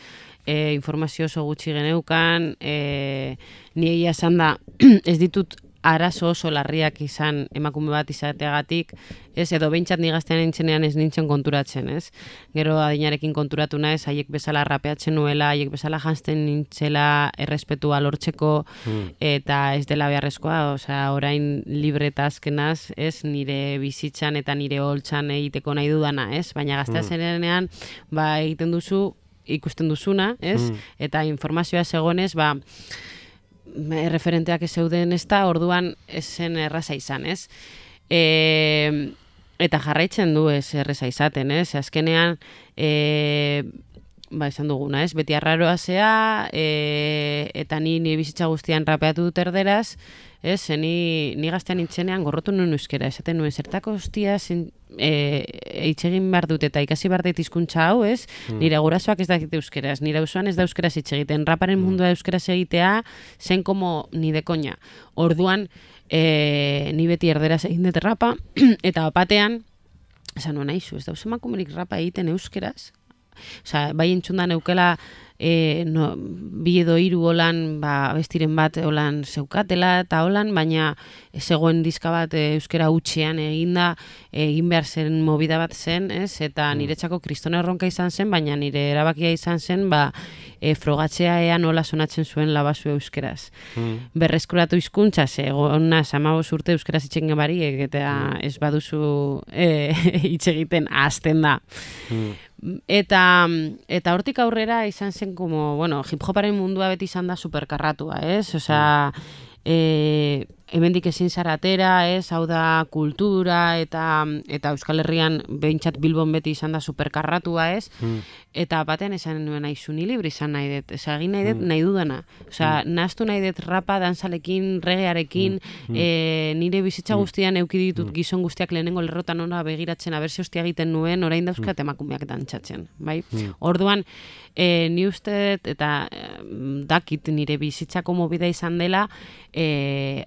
Informazio oso gutxi geneukan, ni egia esan da, ez ditut arazo oso larriak izan emakume bat izateagatik, ez, edo behintzat ni gaztean nintzenean ez nintzen konturatzen, ez? Gero adinarekin konturatu naiz, haiek bezala rapeatzen nuela, haiek bezala janzten nintzela errespetua lortzeko, eta ez dela beharrezkoa, osea, orain libre eta azkenaz, ez, nire bizitzan eta nire holtzan egiteko nahi dudana, ez? Baina gaztea zenean, egiten duzu, ikusten duzuna, ez? Eta informazioa zegoenez, referenteak ez zeuden ez da, orduan ez zen erraza izan, ez? Eta jarraitzen du ez erraza izaten, ez? Azkenean, esan duguna, ez? Beti arraroa zea, eta ni bizitza guztian rapeatu dut erderaz, ez? Ni gaztean nintzenean gorrotu nuen euskera, esaten nuen zertako hostia itxegin behar dut eta ikasi behar dut hizkuntza hau, ez? Nire gurasoak ez dakite euskeraz, nire auzoan ez da euskeraz itxegiten, raparen mundua euskeraz egitea zen como ni de koña. Orduan, ni beti erderaz egin dut rapa, eta batean, esan nuen aizu, ez dauz emakumerik rapa egiten euskeraz? Osa, bai entzundan eukela bi edo hiru holan bestiren bat holan zeukatela eta holan, baina zegoen diska bat euskera hutsean egin behar zen movida bat zen, ez? Eta niretzako kristona erronka izan zen, baina nire erabakia izan zen frogatzea ea nola sonatzen zuen labazu euskeraz. Berreskuratu hizkuntza, egona 15 urte euskaraz itxegin barik, eta ez baduzu hitz egiten hasten da. Eta hortik aurrera izan zen como, hip-hoparen mundua beti izan da superkarratua, ez? Osea, hemendik ezin zara atera, ez? Hau da kultura eta Euskal Herrian behintzat Bilbon beti izan da superkarratua, ez? Eta batean esan nuen aizu ni libre izan nahi dut, egin nahi dut nahi dudana. Osea, nahaztu nahi dut rapa, danzalekin, regearekin, nire bizitza guztian euki ditut gizon guztiak lehenengo lerrotan ona begiratzen, abertze hostia egiten nuen, orain dauzkat emakumeak dantzatzen, bai? Orduan, ni uste dut, eta dakit nire bizitzako mobida izan dela,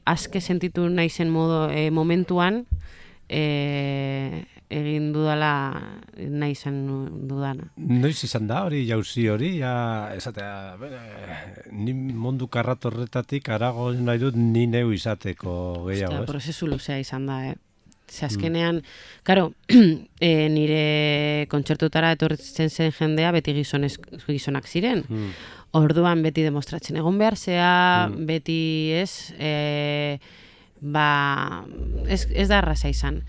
aske sentitu naizen momentuan, egin dudala nahi izan dudana. Noiz izan da hori, jauzi hori, esatea, ni mundu karrat horretatik arago nahi dut ni neu izateko gehiago, ez? Prozesu luzea izan da, azkenean, karo, nire kontzertutara etortzen zen jendea beti gizonak ziren. Orduan beti demostratzen egon behar zea, beti ez da arraza izan.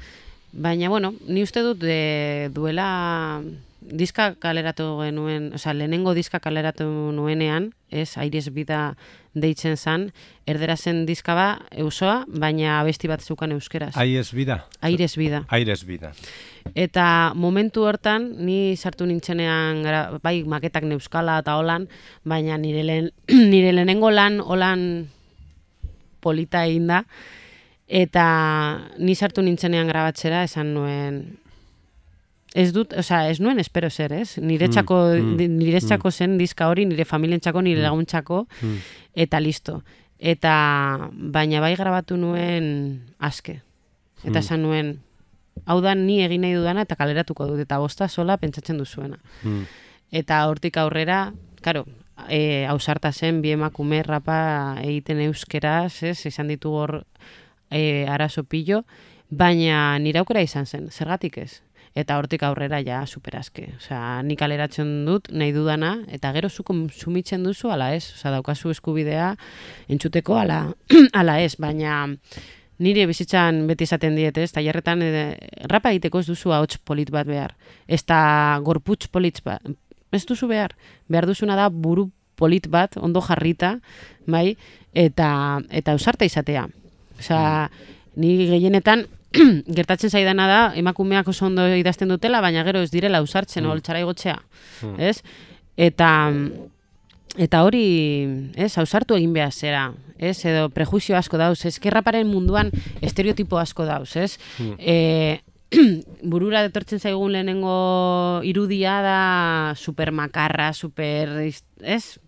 Baina, ni uste dut duela diska kaleratu genuen, lehenengo diska kaleratu nuenean, Aires Bida deitzen zan, erdera zen diska eusoa, baina abesti bat zeukan euskeraz. Aires Bida? Aires Bida. Aires Bida. Eta momentu hortan, ni sartu nintzenean, bai maketak neuskala eta holan, baina nire lehenengo lan holan polita egin da, eta ni sartu nintzenean grabatzera esan nuen, ez nuen espero zer, ez? Niretzako zen diska hori, nire familientzako, nire laguntzako, eta listo. Baina bai grabatu nuen aske. Eta esan nuen, hau da ni egin nahi dudana eta kaleratuko dut, eta bosta sola pentsatzen duzuena. Eta hortik aurrera, karo, ausarta zen, bi emakume rapa egiten euskeraz, izan ditu hor arazo pillo, baina nire aukera izan zen, zergatik ez? Eta hortik aurrera ja superazke. Osea, nik kaleratzen dut, nahi dudana, eta gero zu kontsumitzen duzu, ala ez? Osea, daukazu eskubidea entzuteko, ala ez, baina nire bizitzan beti esaten diet, ez? Tailerretan rapa egiteko ez duzu ahots polit bat behar. Ez da gorputz polit bat. Ez duzu behar. Behar duzuna da buru polit bat, ondo jarrita, bai? Eta ausarta izatea. Osea, ni gehienetan gertatzen zaidana da, emakumeak oso ondo idazten dutela, baina gero ez direla ausartzen, holtzara igotzea, ez? Eta hori, ez, ausartu egin behar zera, ez? Edo prejuizio asko dauz, ez? Raparen munduan estereotipo asko dauz, ez? burura etortzen zaigun lehenengo irudia da supermakarra, ez?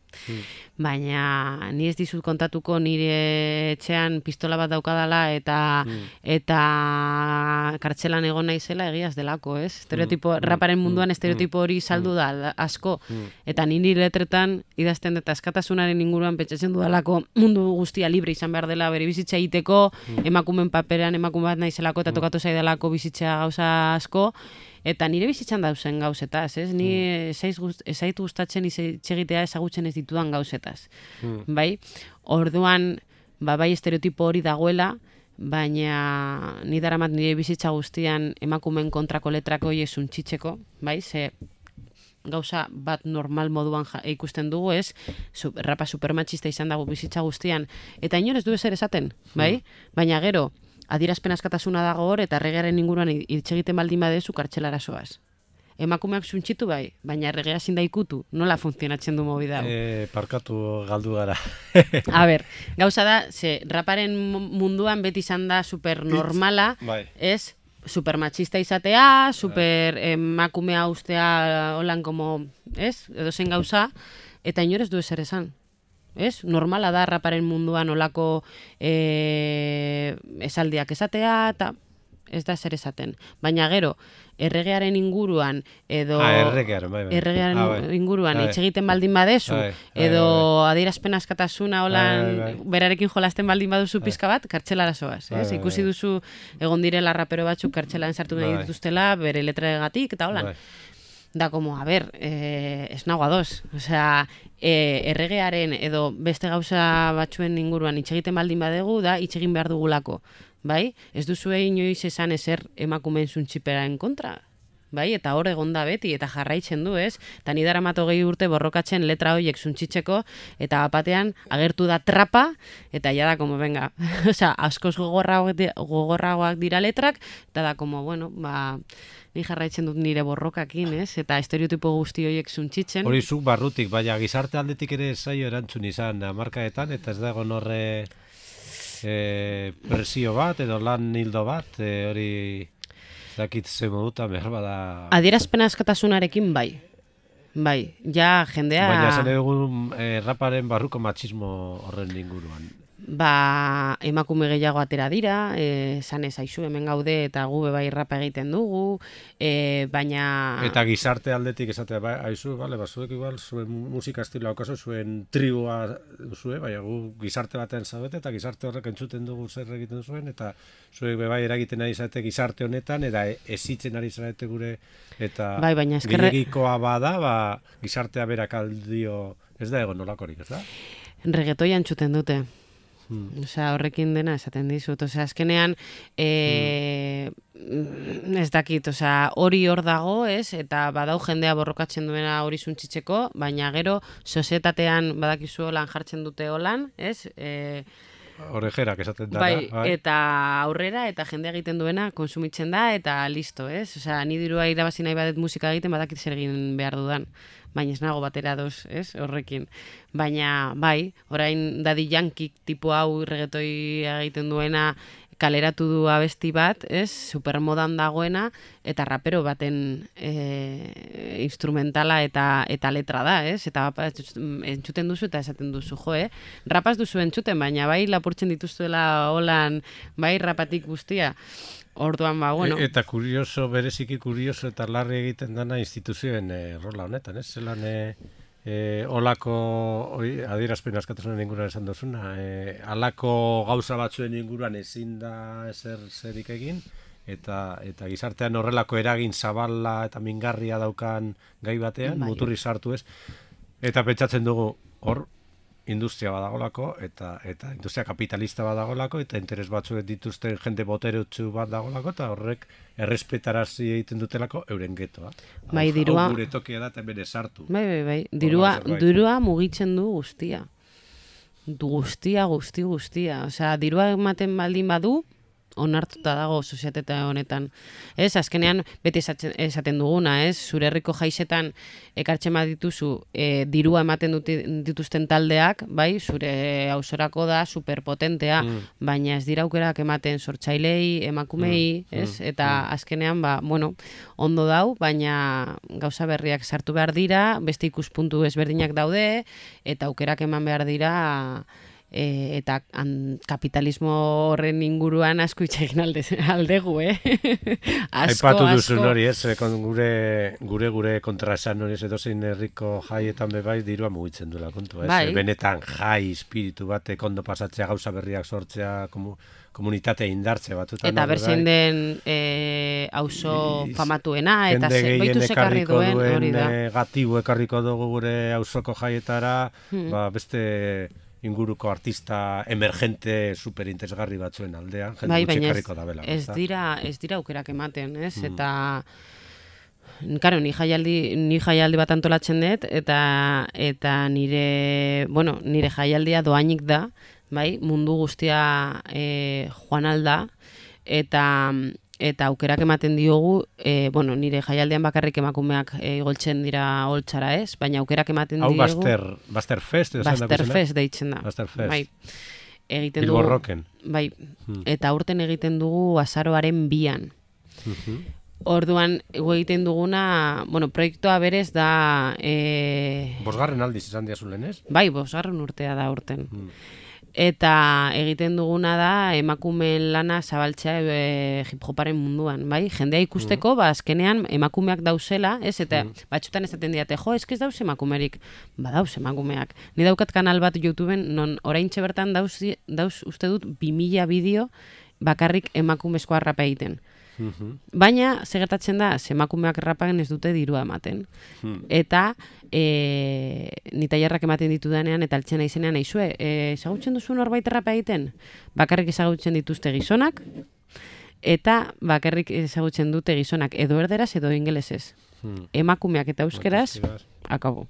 Baina ni ez dizut kontatuko nire etxean pistola bat daukadala eta kartzelan egon naizela egiaz delako, ez? Estereotipo, raparen munduan estereotipo hori saldu da asko. Eta ni nire letretan idazten eta askatasunaren inguruan pentsatzen dudalako mundu guztia libre izan behar dela bere bizitza egiteko, emakumeen paperean emakume bat naizelako eta tokatu zaidalako bizitza gauza asko. Eta nire bizitzan dauzen gauzetaz, ez? Ni ezait gustatzen itxegitea ezagutzen ez ditudan gauzetaz. Bai? Orduan, bai estereotipo hori dagoela, baina ni daramat nire bizitza guztian emakumeen kontrako letrako horiek suntxitzeko, bai? Ze gauza bat normal moduan ikusten dugu, ez? Rapa supermatxista izan dago bizitza guztian. Eta inorez du ezer esaten, bai? Baina gero, adierazpen askatasuna dago hor, eta erregearen inguruan hitz egiten baldin badezu kartzelara zoaz. Emakumeak suntxitu bai, baina erregea ezin da ikutu. Nola funtzionatzen du movida hau? Parkatu galdu gara. A ber, gauza da, ze raparen munduan beti izan da supernormala, ez? Supermatxista izatea, super emakumea ustea holan como, ez? Edo zen gauza, eta inorez du ezer esan. Ez? Normala da raparen munduan olako esaldiak esatea, eta ez da zer esaten. Baina gero, erregearen inguruan, edo erregearen inguruan hitz egiten baldin badezu, edo adierazpen askatasuna holan berarekin jolasten baldin baduzu pizka bat, kartzelara zoaz. Ikusi duzu egon direla rapero batzuk kartzelan sartu nahi dituztela, bere letragatik, eta holan. Da, como, a ber, ez nago ados. Osea, erregearen edo beste gauza batzuen inguruan hitz egiten baldin badegu, da, hitz egin behar dugulako. Bai? Ez duzue inoiz esan ezer emakumeen zuntxiperaen kontra. Bai? Eta hor egon da beti, eta jarraitzen du, ez? Eta ni daramat 20 urte borrokatzen letra horiek zuntxitzeko, eta batean agertu da trapa, eta ja da, como, venga, osea, askoz gogorragoak dira letrak, eta da, como, bueno, ni jarraitzen dut nire borrokakin, ez? Eta estereotipo guzti horiek zuntxitzen. Hori zuk barrutik, baina gizarte aldetik ere zaio erantzun izan hamarkadetan, eta ez dago horre presio bat, edo lan hildo bat, hori dakit ze moduta behar bada... Adierazpen askatasunarekin bai. Bai, ja jendea... Baina esan egun raparen barruko matxismo horren inguruan. Emakume gehiago atera dira, esan ez aizu hemen gaude eta gu bai rapa egiten dugu, baina... Eta gizarte aldetik esatea, aizu, zuek igual, zuen musika estiloa okazu, zuen tribua zuen, baina gu gizarte batean zaudete, eta gizarte horrek entzuten dugu zer egiten zuen, eta zuek bai eragiten ari zarete gizarte honetan, eta ezitzen ari zarete gure, eta gehiagikoa bada, gizartea berak aldio, ez da egon nolakorik, ez da? Reggaetoia entzuten dute. Osea, horrekin dena esaten dizut. Osea, azkenean ez dakit, osea, hori hor dago, ez? Eta badau jendea borrokatzen duena hori zuntzitzeko, baina gero sozietatean badakizu holan jartzen dute holan, ez? Orejerak esaten dara. Bai, eta aurrera, eta jendea egiten duena konsumitzen da, eta listo, ez? Osea, ni dirua irabazi nahi badet musika egiten, badakit zer egin behar dudan. Baina ez nago batera doz, ez, horrekin. Baina, bai, orain Daddy Yankee tipo hau reggaetoi egiten duena kaleratu du abesti bat, ez, supermodan dagoena, eta rapero baten instrumentala eta letra da, ez, eta entzuten duzu eta esaten duzu, rapaz duzu entzuten, baina bai lapurtzen dituztuela holan, bai rapatik guztia. Orduan, bueno. Eta kurioso, bereziki kurioso eta larri egiten dana instituzioen rola honetan, ez? Zelan olako adierazpen askatasunen inguruan esan duzuna, alako gauza batzuen inguruan ezin da zerik egin, eta gizartean horrelako eragin zabala eta mingarria daukan gai batean, muturri sartu ez, eta pentsatzen dugu hor, industria badagolako, eta industria kapitalista badagolako, eta interes batzuek dituzten jende boterutsu bat dagolako, eta horrek errespetarazi egiten dutelako euren getoa. Bai, dirua... Hau gure tokia da, eta bere sartu. Bai. Dirua mugitzen du guztia. Guztia. Osea, dirua ematen baldin badu, onartuta dago soziete honetan. Ez, azkenean beti esaten duguna, ez? Zure herriko jaisetan ekartzen dituzu dirua ematen dituzten taldeak, bai, zure ausorako da superpotentea, baina ez dira aukerak ematen sortzailei, emakumei, ez? Eta azkenean, ondo dau, baina gauza berriak sartu behar dira, beste ikuspuntu ezberdinak daude, eta aukerak eman behar dira, eta kapitalismo horren inguruan asko itxegin aldegu, Aipatu duzun hori, ez? Gure kontraesan hori, edozein herriko jaietan bebai dirua mugitzen duela kontu, ez? Bai. Benetan jai, espiritu batek ondo pasatzea, gauza berriak sortzea, komunitate indartze batutan. Eta berzein den auzo famatuena, eta baitu sekarri duen hori da. Negatibo ekarriko dugu gure auzoko jaietara, beste inguruko artista emergente superinteresgarri batzuen aldean, jende gutxi ekarriko da bela. Ez dira aukerak ematen, ez? Eta claro, ni jaialdi bat antolatzen dut, eta nire jaialdia doainik da, bai, mundu guztia joan alda, eta aukerak ematen diogu, nire jaialdean bakarrik emakumeak igoltzen dira holtzara, ez? Baina aukerak ematen diogu... Hau Baster Fest? Baster Fest deitzen da. Baster Fest. Bai. Bilbo Rocken. Bai. Eta aurten egiten dugu azaroaren 2an. Orduan, egiten duguna, proiektua berez da... 5. aldiz izan diazulen, ez? Bai, 5. urtea da aurten. Eta egiten duguna da emakumeen lana zabaltzea hip-hoparen munduan, bai? Jendea ikusteko, azkenean emakumeak dauzela, ez? Eta batzutan esaten diate, ez dauz emakumerik. Dauz emakumeak. Ni daukat kanal bat YouTubeen, non oraintxe bertan dauz uste dut 2000 bideo bakarrik emakumezkoa rapa egiten. Baina, segertatzen da, emakumeak rapagen ez dute dirua ematen. Eta nitaiarrak ematen ditudanean eta altzen aizenean aizue, ezagutzen duzu norbait rapa egiten? Bakarrik ezagutzen dituzte gizonak, eta bakarrik ezagutzen dute gizonak edo erderaz edo ingelesez. Emakumeak eta euskeraz, akabo.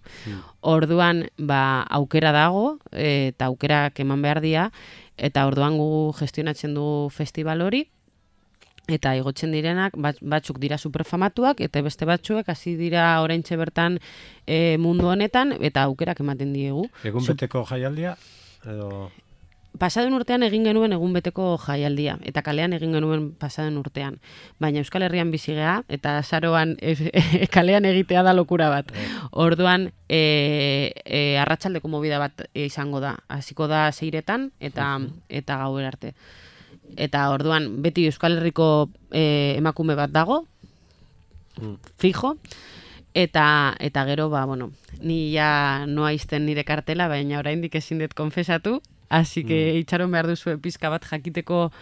Orduan, aukera dago, eta aukerak eman behar dira, eta orduan gu gestionatzen dugu festival hori, eta igotzen direnak, batzuk dira superfamatuak, eta beste batzuek hasi dira oraintxe bertan mundu honetan, eta aukerak ematen diegu. Egun beteko jaialdia? Pasaden urtean egin genuen egun beteko jaialdia, eta kalean egin genuen pasaden urtean. Baina Euskal Herrian bizi gea, eta azaroan kalean egitea da lokura bat. Orduan, arratsaldeko movida bat izango da. Hasiko da 6etan, eta gauer arte. Eta orduan, beti Euskal Herriko emakume bat dago, fijo, eta gero, ni ja noa izten nire kartela, baina oraindik ezin dut konfesatu, así que itxaron behar duzu pizka bat jakiteko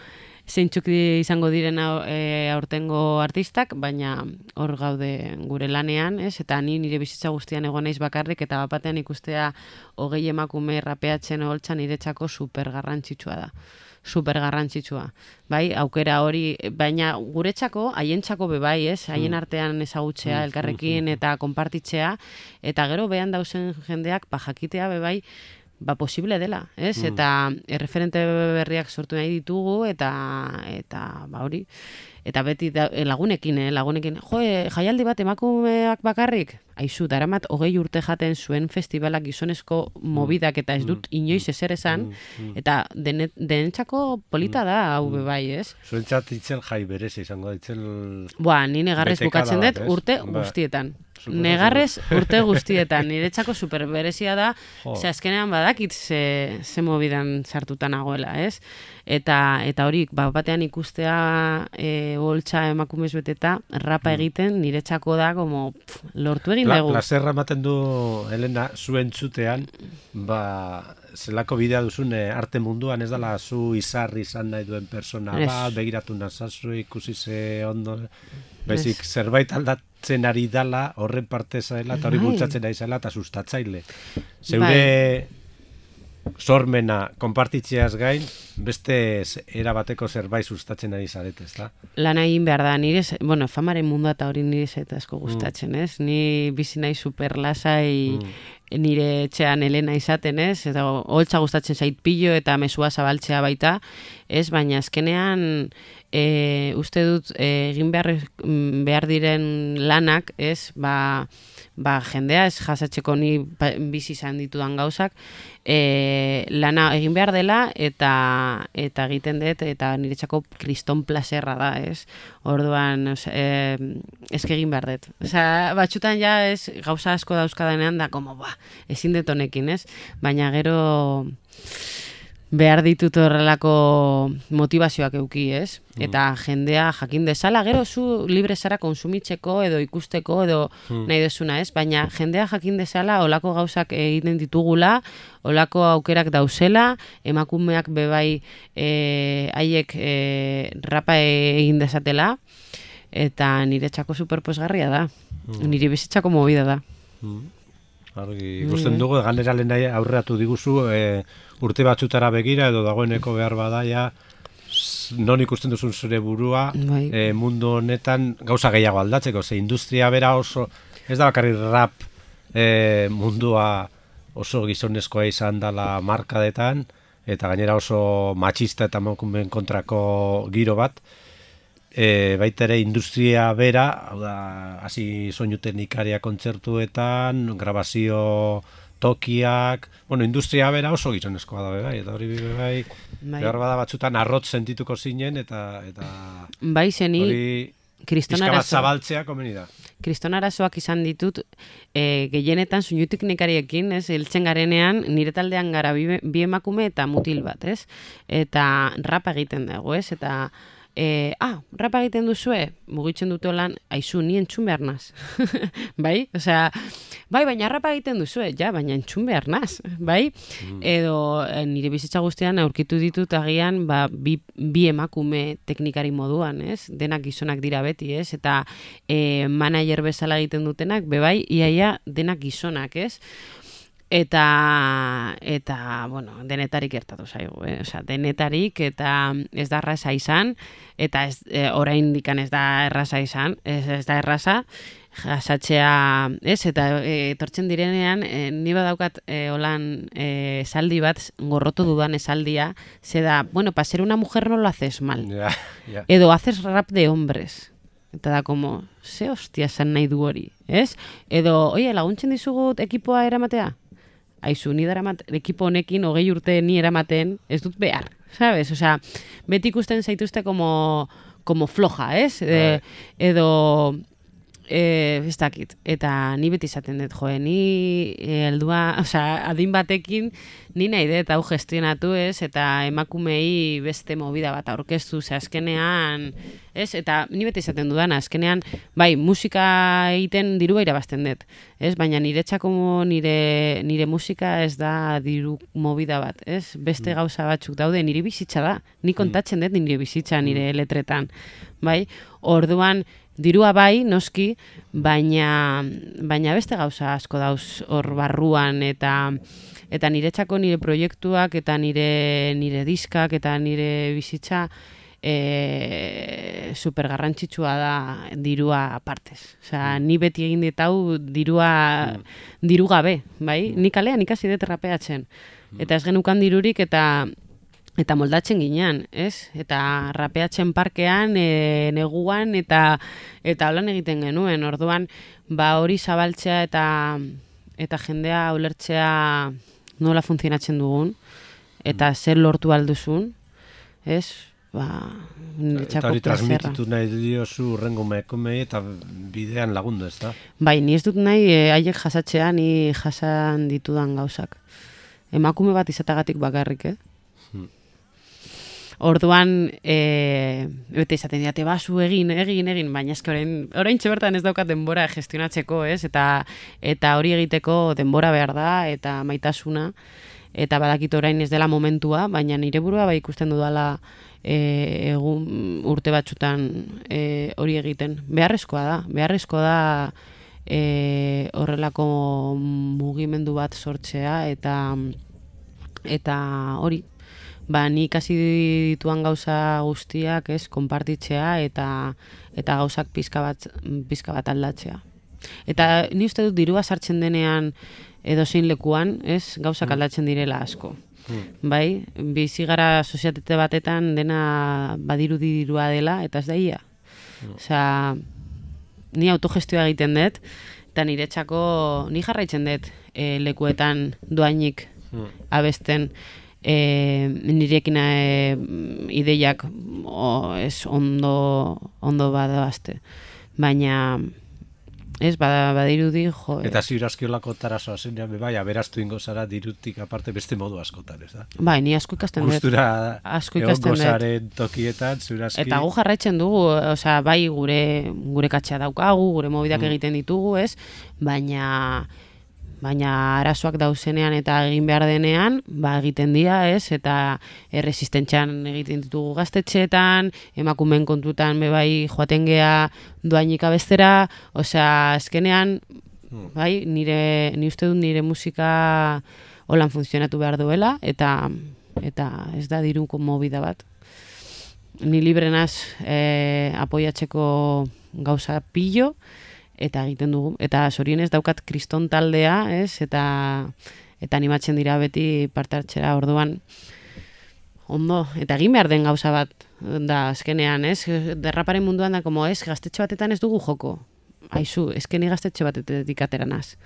zeintzuk izango diren aurtengo artistak, baina hor gaude gure lanean, ez? Eta nire bizitza guztian egon naiz bakarrik, eta bapatean ikustea 20 emakume rapeatzen holtzan niretzako super garrantzitsua da. Super garrantzitsua. Bai, aukera hori, baina guretzako, haientzako bebai, ez? Haien artean ezagutzea, elkarrekin eta konpartitzea, eta gero behan dauzen jendeak jakitea bebai, posible dela, ez? Eta erreferente berriak sortu nahi ditugu, eta hori, eta beti lagunekin, jaialdi bat emakumeak bakarrik, aizu, daramat 20 urte jaten zuen festivalak gizonezko mobidak, eta ez dut inoiz ezer esan, eta denentzako polita da, hau bebai, ez? Zuentzat itzel jai berez izango, itzel... Ni negarrez bukatzen dut urte guztietan. Negarrez urte guztietan, niretzako super berezia da, ze azkenean badakit ze mobidan sartutan nagoela, ez? Eta hori, batean ikustea boltsa emakumez beteta, rapa egiten, niretzako da, lortu egin dugu. Plazerra ematen du, Elena, zuen txutean, zelako bidea duzun arte munduan, ez dala zu izarri izan nahi duen persona bat, begiratu nazazu, ikusi ze ondo, baizik zerbait aldatzen ari dala, horren parte zaila, eta hori bultzatzen ari zaila, eta sustatzaile. Zeure sormena konpartitzeaz gain, beste erabateko zerbait sustatzen ari zarete, ez da? Lan egin behar da, nire, famaren mundua eta hori nire asko gustatzen, ez? Ni bizi nahi super lasai nire etxean Elena izaten, ez? Eta holtza gustatzen zait pilo eta mesua zabaltzea baita, ez? Baina azkenean uste dut egin behar diren lanak, ez? Jendea ez jasatzeko ni bizi izan ditudan gauzak, lana egin behar dela eta egiten dut eta niretzako kriston plazerra da, ez? Orduan, eske egin behar dut. Osea, batxutan ja ez gauza asko dauzkadanean da, como, ezin dut honekin, ez? Baina gero behar ditut horrelako motivazioak euki, ez? Eta jendea jakin dezala, gero zu libre zara konsumitzeko edo ikusteko edo nahi desuna, ez? Baina jendea jakin dezala olako gauzak egiten ditugula, olako aukerak dauzela, emakumeak bebai haiek rapa egin dezatela, eta niretzako superposgarria da. Nire bizitzako movida da. Argi, ikusten dugu, ganera lehen aurreatu diguzu, urte batzutara begira edo dagoeneko behar badaia, non ikusten duzun zure burua, mundu honetan gauza gehiago aldatzeko, ze industria bera oso, ez da bakarrik rap mundua oso gizonezkoa izan dela markadetan, eta gainera oso matxista eta emakumeen kontrako giro bat, baita ere industria bera, hau da, hasi soinu teknikaria kontzertuetan, grabazio tokiak, industria bera oso gizonezkoa da bai, eta hori bai, behar bada batzutan arrotz sentituko zinen, eta bai, zeni, pizka bat zabaltzea komeni da. Kriston arazoak izan ditut, gehienetan soinu teknikariekin, ez, heltzen garenean, nire taldean gara bi emakume eta mutil bat, ez, eta rapa egiten dago, ez, eta rapa egiten duzue, mugitzen dute lan, aizu, ni entzun behar naz. Bai? Osea, bai, baina rapa egiten duzue, ja, baina entzun behar naz. Bai? Edo nire bizitza guztian aurkitu ditut agian bi emakume teknikari moduan, ez? Denak gizonak dira beti, ez? Eta manager bezala egiten dutenak, bebai, iaia denak gizonak, ez? Eta bueno, denetarik gertatu zaigu, Osea, denetarik eta ez da erraza izan, eta oraindik ez da erraza izan, ez da erraza jasatzea, ez? Eta etortzen direnean, ni badaukat holan esaldi bat, gorrotu dudan esaldia, ze da, bueno, para ser una mujer no lo haces mal. Edo haces rap de hombres. Eta da, como, ze hostia esan nahi du hori, ez? Edo, oie, laguntzen dizugut ekipoa eramatea? Aizu, ni daramat ekipo honekin 20 urte ni eramaten, ez dut behar, sabes? Osea, beti ikusten zaituzte como floja, ez? Edo, ez dakit, eta ni beti izaten dut, ni heldua, osea, adin batekin ni nahi dut hau gestionatu, ez? Eta emakumei beste movida bat aurkeztu, ze azkenean, ez? Eta ni beti izaten dudan, azkenean, bai, musika egiten dirua irabazten dut, ez? Baina niretzako nire musika ez da diru movida bat, ez? Beste gauza batzuk daude, nire bizitza da, ni kontatzen dut nire bizitza, nire letretan, bai? Orduan, dirua bai, noski, baina beste gauza asko dauz hor barruan, eta niretzako nire proiektuak, eta nire diskak, eta nire bizitza super garrantzitsua da dirua apartez. Osea, ni beti egin dit hau diru gabe, bai? Ni kalean ikasi dut rapeatzen. Eta ez genukan dirurik eta moldatzen ginean, ez? Eta rapeatzen parkean, neguan, eta holan egiten genuen. Orduan, hori zabaltzea eta jendea ulertzea nola funtzionatzen dugun, eta zer lortu alduzun, ez? Eta hori transmititu nahi diozu urrengo mekomei eta bidean lagundu, ez da? Bai, ni ez dut nahi haiek jasatzea, ni jasan ditudan gauzak. Emakume bat izatagatik bakarrik, Orduan, bete izaten diate, basu egin, baina eske orain bertan ez daukat denbora gestionatzeko, ez? Eta hori egiteko denbora behar da, eta maitasuna, eta badakit orain ez dela momentua, baina nire burua bai ikusten dudala egun urte batzutan hori egiten. Beharrezkoa da horrelako mugimendu bat sortzea, eta hori, ni ikasi dituan gauza guztiak, ez, konpartitzea eta gauzak pizka bat aldatzea. Eta ni uste dut dirua sartzen denean edozein lekuan, ez, gauzak aldatzen direla asko. Bai, bizi gara sozietate batetan dena badirua dela, eta ez da ia. Osea, ni autogestioa egiten dut, eta niretzako ni jarraitzen dut lekuetan doainik abesten nirekin ideiak ez ondo badazte. Baina ez, badirudi, jo... Eta ziurazkiolako tarasoa zenean, bai, aberastu ingo zara dirutik aparte beste modu askotan, ez da? Bai, ni asko ikasten dut. Gustura egon gozaren tokietan, ziurazki... Eta gu jarraitzen dugu, osea, bai, gure katxea daukagu, gure mobidak egiten ditugu, ez? Baina arazoak dauzenean eta egin behar denean, egiten dira, ez? Eta erresistentzian egiten ditugu gaztetxeetan, emakumeen kontutan bai joaten gea doainik abestera, osea, azkenean, bai, ni uste dut nire musika holan funtzionatu behar duela, eta ez da diruko movida bat. Ni librenaz apoiatzeko gauza pillo, eta egiten dugu. Eta zorionez daukat kriston taldea, ez? Eta animatzen dira beti parte hartzera, orduan ondo. Eta egin behar den gauza bat da azkenean, ez? Derraparen munduan da, como ez, gaztetxe batetan ez dugu joko. Aizu, ni gaztetxe batetik ateranaz.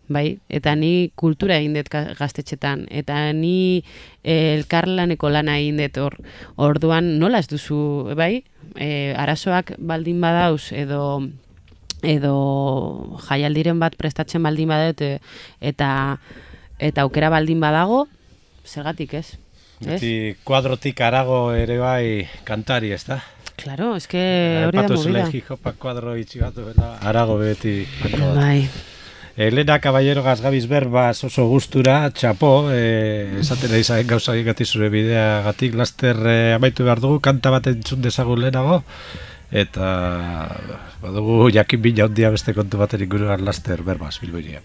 Bai? Eta ni kultura egin dut gaztetxetan. Eta ni elkarlaneko lana egin dut hor. Orduan nola ez duzu, bai? Arazoak baldin badauz edo jaialdiren bat prestatzen baldin badut eta aukera baldin badago, zergatik ez? Beti kuadrotik arago ere bai kantari, ez da? Claro, hori da movida. Patuz hip-hopak kuadro itxi bat duela, arago beti. Bai. Elena Caballero Gazgabiz berbaz oso gustura, txapo, esaten izan gauza egin zure bidea gatik, laster amaitu behar dugu, kanta bat entzun dezagun lehenago, eta badugu jakin bila ondia beste kontu baten inguruan laster berbaz, Bilboirian.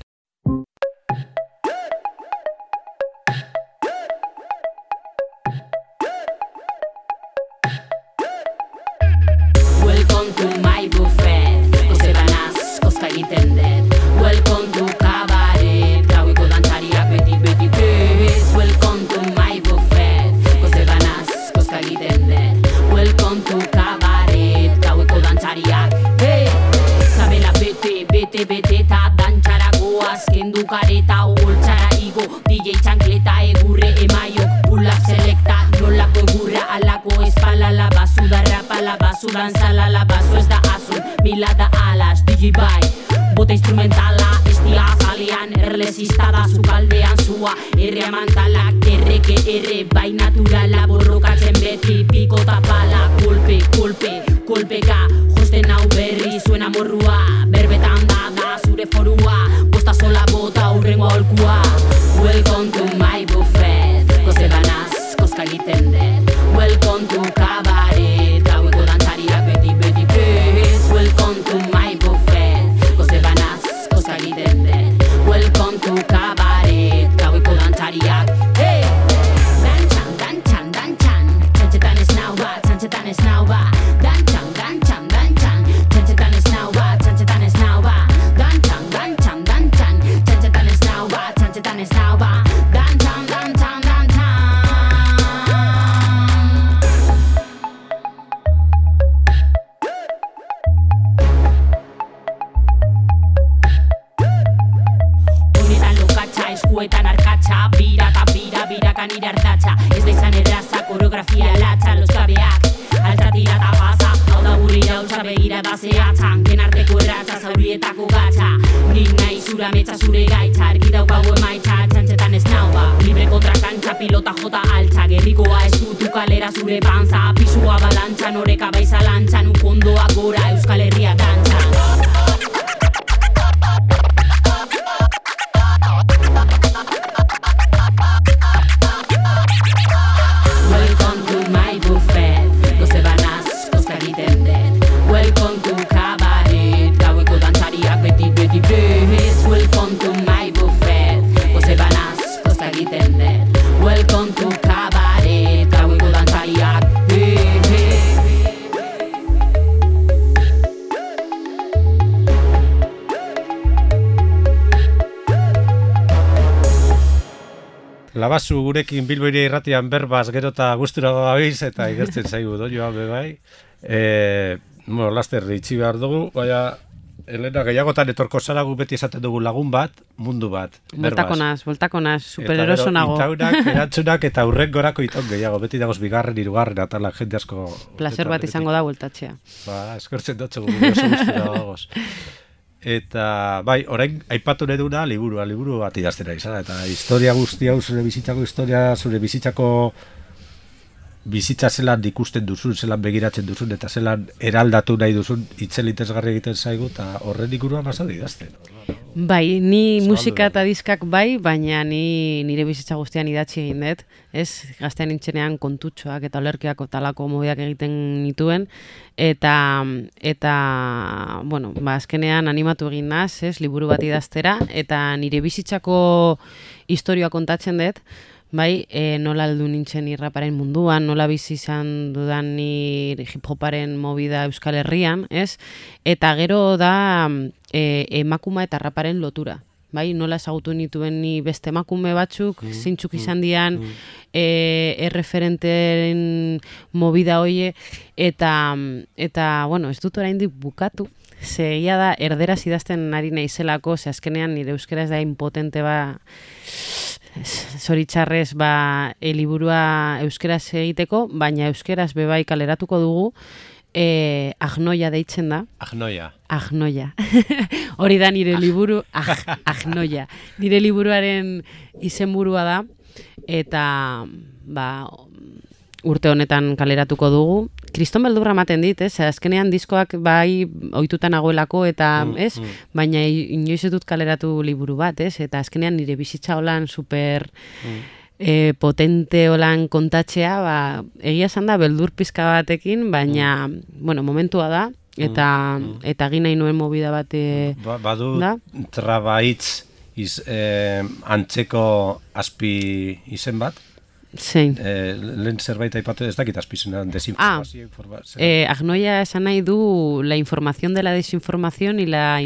Welcome to my buffet, koze banaz, koska egiten dut. Welcome to cabaret, gaueko dantzariak beti bez. Welcome to my buffet, koze banaz, koska egiten dut. Welcome to cabaret, gaueko dantzariak, hey! Zabela bete eta dantxarako azkendu kareta, ogoltxara igo, DJ txankleta, egurre emaiok, pull-up selecta, nolako egurra alako espala, labazu da rapa, labazu dantzala, labazu ez da azun, mila da alas, DJ bai, bota instrumentala, estia azalean, erlesista da zukaldean zua, erre amantalak, erre, bai naturala, borrokatzen beti, piko tapala, kolpeka, josten hau berri, zuen amorrua, berbetan da zure forua, posta sola bota urrengo aholkua. Welcome to my buffet, koze banaz, koska egiten dut. Welcome to cabaret, gaueko dantzariak beti bez. Welcome to my buffet, koze banaz, koska egiten dut. Welcome to cabaret, gaueko dantzariak, hey! Dantxan, txantxetan ez nau bat, txantxetan ez nau bat. Dantxan, txantxetan ez nau bat, txantxetan ez nau bat. Dantxan, txantxetan ez nau bat, txantxetan ez nau bat. Dantxan. Honetan lokatxa, eskuetan arkatxa, birakan nire hartatxa. Ez da izan erraza, koreografia latxa, loskabeak, altza tira eta pasa. Hau da burri hautsa begira da zehatzan, kenarteko erratza, zaurietako gatxa. Nik nahi zura metxa zure gaitza, argi daukagu emaitza, txantxetan ez nau ba. Libre kontra kantxa, pilota jota altza, gerrikoa eskutu kalera zure panza. Pisua balantxan, oreka baiza lantxan, ukondoa gora, Euskal Herria dantxan. Welcome to my buffet, koze banaz, koska egiten dut. Welcome to cabaret, gaueko dantzariak beti bez. Welcome to my buffet, koze banaz, koska egiten dut. Welcome to cabaret, gaueko dantzariak, Labazu gurekin Bilbo Hiria Irratian berbaz gero eta gustura gabiz eta igertzen zaigu doioa bebai. Laster itxi behar dugu, baina Elena, gehiagotan etorko zara gu beti esaten dugu lagun bat, mundu bat. Voltako naz, supereroso nago. Eta gero, itaunak, erantzunak eta hurrengorako itaun gehiago. Beti dagoz bigarren, hirugarren, atala jende asko. Placer bat izango da voltatxea. Eskertzen dutze gu oso gustura dagoz. Eta, bai, orain aipatu neduna liburu bat idaztera izan. Eta historia guzti hau, zure bizitzako bizitza zelan ikusten duzun, zelan begiratzen duzun, eta zelan eraldatu nahi duzun, itzelitezgarri egiten zaigu, eta horren ikuruan basadu idazten. Bai, ni musika eta diskak bai, baina nire bizitza guztian idatzi egin dut, ez? Gaztean nintzenean kontutxoak eta olerkiak talako mobiak egiten nituen, eta bueno, azkenean animatu egin naz, ez? Liburu bat idaztera, eta nire bizitzako historioa kontatzen dut, bai, nola aldu nintzen irraparen munduan, nola bizi izan dudan ni hip-hoparen movida Euskal Herrian, ez? Eta gero da emakuma eta raparen lotura. Bai, nola ezagutu nituen ni beste emakume batzuk, zeintzuk izan dian erreferenteren movida hoie, eta bueno, ez dut oraindik bukatu, egia da erderaz idazten ari naizelako, azkenean nire euskera ez da impotente zoritxarrez liburua euskeraz egiteko, baina euskeraz bebai kaleratuko dugu, Agnoia deitzen da. Agnoia. Hori da nire liburu, Agnoia. Nire liburuaren izenburua da, eta urte honetan kaleratuko dugu. Kriston beldurra ematen dit, azkenean diskoak bai ohituta nagoelako eta, baina inoiz ez dut kaleratu liburu bat, eta azkenean nire bizitza holan super potente holan kontatzea, egia esan da beldur pizka batekin, baina, bueno, momentua da, eta egin nahi nuen movida bat da. Badu trabaitz antzeko azpi izen bat? Zein. Lehen zerbait aipatu ez dakit azpizena, desinformazio. Agnoia esan nahi du la información de la desinformación y la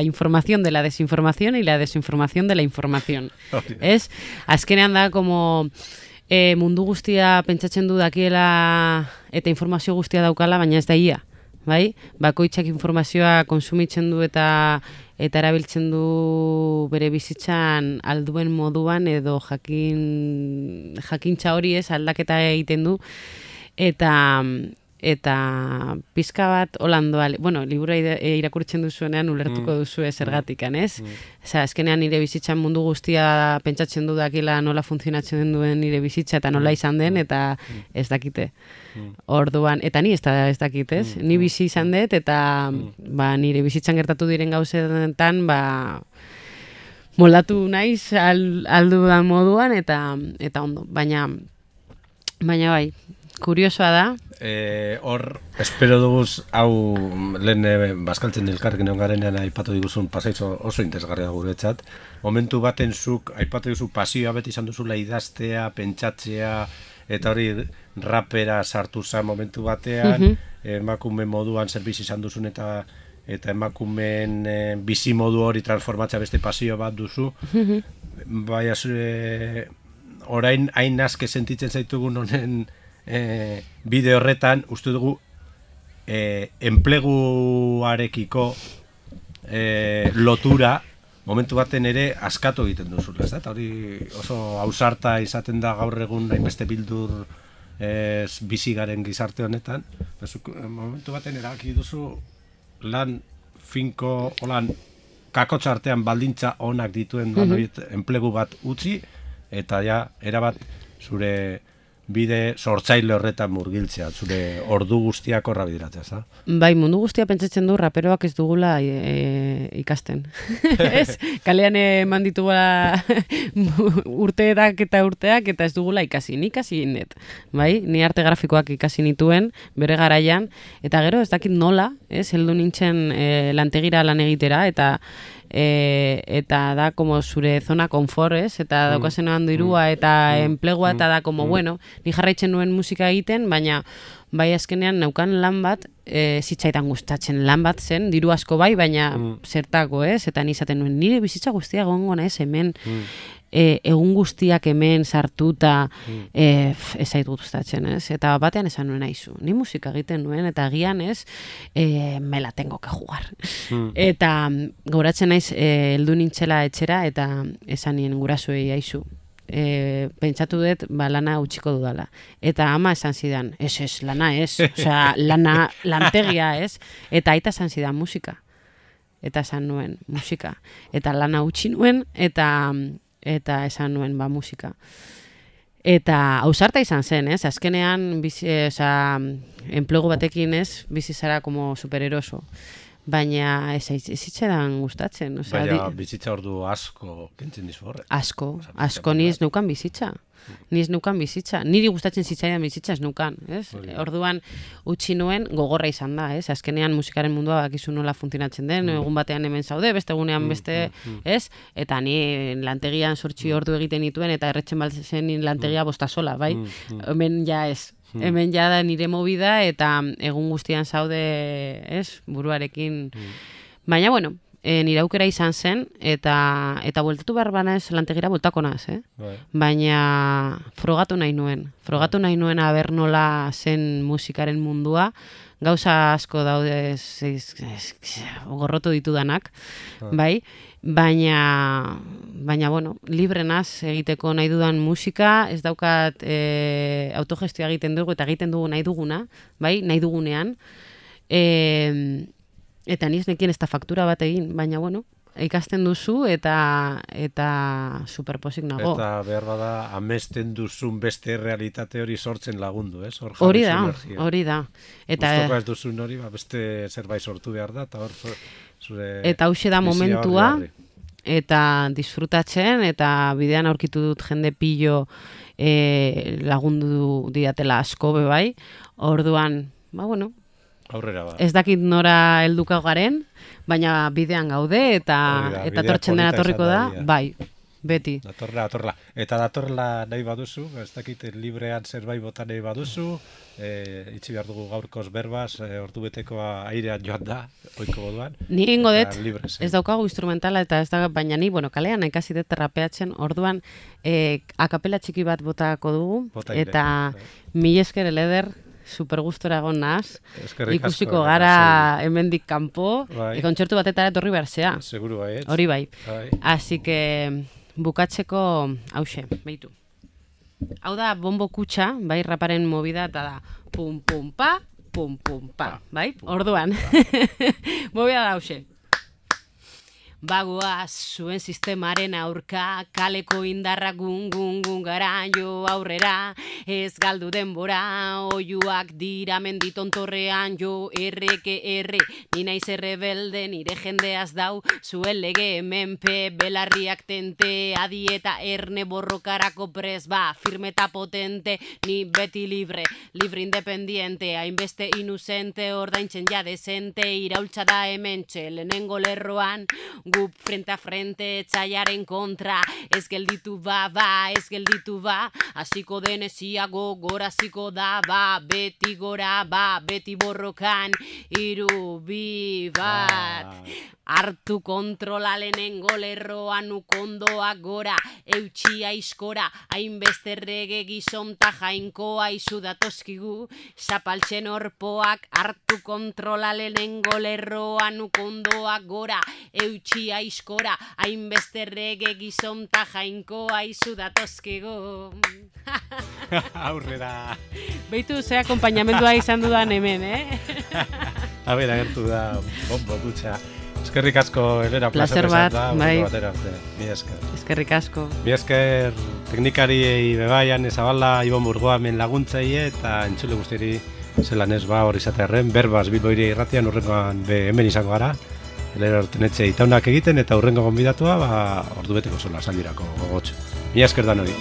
información de la desinformación y la desinformación de la información. Ez? Azkenean da, como mundu guztia pentsatzen du dakiela eta informazio guztia daukala, baina ez da ia. Bai? Bakoitzak informazioa konsumitzen du eta erabiltzen du bere bizitzan alduen moduan edo jakintza hori ez aldaketa egiten du eta pizka bat holandoa, bueno, libura irakurtzen duzuenean ulertuko duzu zergatikan, ez? Azkenean nire bizitzan mundu guztia pentsatzen du dakila nola funtzionatzen duen nire bizitza eta nola izan den, eta ez dakite. Orduan, eta ni ez dakit, ez? Ni bizi izan dut, eta nire bizitzan gertatu diren gauzetan, moldatu naiz aldu da moduan, eta ondo. Baina bai, kuriosoa da. Hor, espero duguz, hau lehen bazkaltzen elkarrekin egon garenean aipatu diguzun pasaitzo oso interesgarria guretzat. Momentu baten zuk aipatu duzu pasioa beti izan duzula idaztea, pentsatzea, eta hori rapera sartu zen momentu batean, emakume moduan zerbitz izan duzun eta emakumeen bizi modu hori transformatzea beste pasio bat duzu. Baina orain hain aske sentitzen zaitugun honen bide horretan, uste dugu enpleguarekiko lotura momentu baten ere askatu egiten duzula, ez da? Eta hori oso ausarta izaten da gaur egun hainbeste bildur bizi garen gizarte honetan. Momentu baten erabaki duzu lan finko, olan kakotxa artean baldintza onak dituen enplegu bat utzi, eta ja, erabat zure bide sortzaile horretan murgiltzea, zure ordu guztiak horra bideratzea, ez da? Bai, mundu guztia pentsatzen du raperoak ez dugula ikasten. Ez? Kalean eman ditugula urteak eta ez dugula ikasi. Ni ikasi net, bai? Ni arte grafikoak ikasi nituen, bere garaian, eta gero ez dakit nola, ez? Heldu nintzen lantegira lan egitera, eta da como zure zona konfort, ez? Eta daukazen dirua eta enplegua, eta da como, bueno, ni jarraitzen nuen musika egiten, baina bai azkenean neukan lan bat, zitzaidan gustatzen lan bat zen, diru asko bai, baina zertako, ez? Eta ni izaten nuen, nire bizitza guztia gongo naiz hemen, egun guztiak hemen sartuta ez zait gustatzen, ez? Eta batean esan nuen aizu, ni musika egiten nuen, eta agian ez, me la tengo que jugar. Eta goratzen naiz, heldu nintzela etxera, eta esan nien gurasoei aizu. Pentsatu dut, lana utxiko dudala. Eta ama esan zidan, ez, lana ez, osea, lantegia ez, eta aita esan zidan musika. Eta esan nuen musika. Eta lana utxi nuen, eta esan nuen musika. Eta ausarta izan zen, ez? Azkenean, enplegu batekin ez, bizi zara como supereroso. Baina ez itxeran gustatzen. Baina bizitza ordu asko kentzen dizu horre. Asko niz neukan bizitza. Niri gustatzen zitzaidan bizitza ez neukan, ez? Orduan utzi nuen gogorra izan da, ez? Azkenean musikaren mundua bakizu nola funtzionatzen den, egun batean hemen zaude, beste egunean beste, ez? Eta ni lantegian 8 ordu egiten dituen eta erretzen baltzen lantegia bosta sola, bai? Hemen ja ez. Hemen ja da nire movida eta egun guztian zaude, ez, buruarekin. Baina, bueno, nire aukera izan zen, eta bueltatu behar bana ez lantegira bueltako naz, Baina frogatu nahi nuen aber nola zen musikaren mundua, gauza asko daude gorrotu ditudanak, bai? Baina, bueno, libre naz egiteko nahi dudan musika, ez daukat autogestioa egiten dugu eta egiten dugu nahi duguna, bai, nahi dugunean. Eta niz nekien ez da faktura bat egin, baina, bueno, ikasten duzu eta superposik nago. Eta behar bada, amesten duzun beste realitate hori sortzen lagundu, ez? Hori da. Gustoko ez duzun hori, beste zerbait sortu behar da, eta hor zure... Eta hauxe da momentua, eta disfrutatzen, eta bidean aurkitu dut jende pillo lagundu didatela asko bai, orduan, bueno, aurrera ba. Ez dakit nora helduko garen, baina bidean gaude, eta tortzen dena torriko da, bai, beti. Datorla. Eta datorla nahi baduzu, ez dakit librean zerbait bota nahi baduzu, itxi behar dugu gaurkoz berbaz, ordu betekoa airean joan da, oiko moduan. Ni ingo dut, ez daukagu instrumentala, eta ez da, baina ni, kalean ikasi dut rapeatzen, orduan akapela txiki bat botako dugu, eta mil esker eleder, super gustora egon naz, ikusiko gara hemendik kanpo, kontzertu batetara etorri behar zea. Seguru bai, ez? Hori bai. Así que bukatzeko hause, behitu. Hau da bombo kutxa, bai, raparen movida, eta da pum pum pa, bai? Orduan. Movida da hause. Bagoaz zuen sistemaren aurka, kaleko indarra gun gara jo aurrera, ez galdu denbora, oiuak dira menditontorrean jo erre, ni naiz errebelde, nire jendeaz dau, zuen lege menpe, belarriak tente, adieta erne borrokarako pres, firme eta potente, ni beti libre independiente, hainbeste inuzente, ordaintzen ja desente, iraultza da hementxe, lehenengo lerroan, gu frente a frente, etxaiaren kontra, ez gelditu ba, hasiko deneziago, goraziko da, beti gora, beti borrokan, 3, 2, 1, hartu kontrola lehenengo lerroan ukondoak gora, eutxia iskora, hainbeste errege gizonta jainkoa izu datozkigu, zapaltzen orpoak, hartu kontrola lehenengo lerroan ukondoak gora, eutxia iskora, hainbeste errege gizonta jainkoa izu datozkigu. Aurrera. Beitu ze akompainamendua izan dudan hemen, A ber, agertu da bombo kutxa. Eskerrik asko, Elena, placer bat, bai. Mi esker. Eskerrik asko. Mi esker teknikariei bebaian ezabala, Ibon Burgoa hemen laguntzaile eta entzule guztiari zelan ez hori izatearren, berbaz Bilbo Hiria Irratian urrengoan hemen izango gara. Elena Ortenetxe itaunak egiten eta urrengo gonbidatua ordu beteko sola saldirako gogotxo. Mi esker dan hori.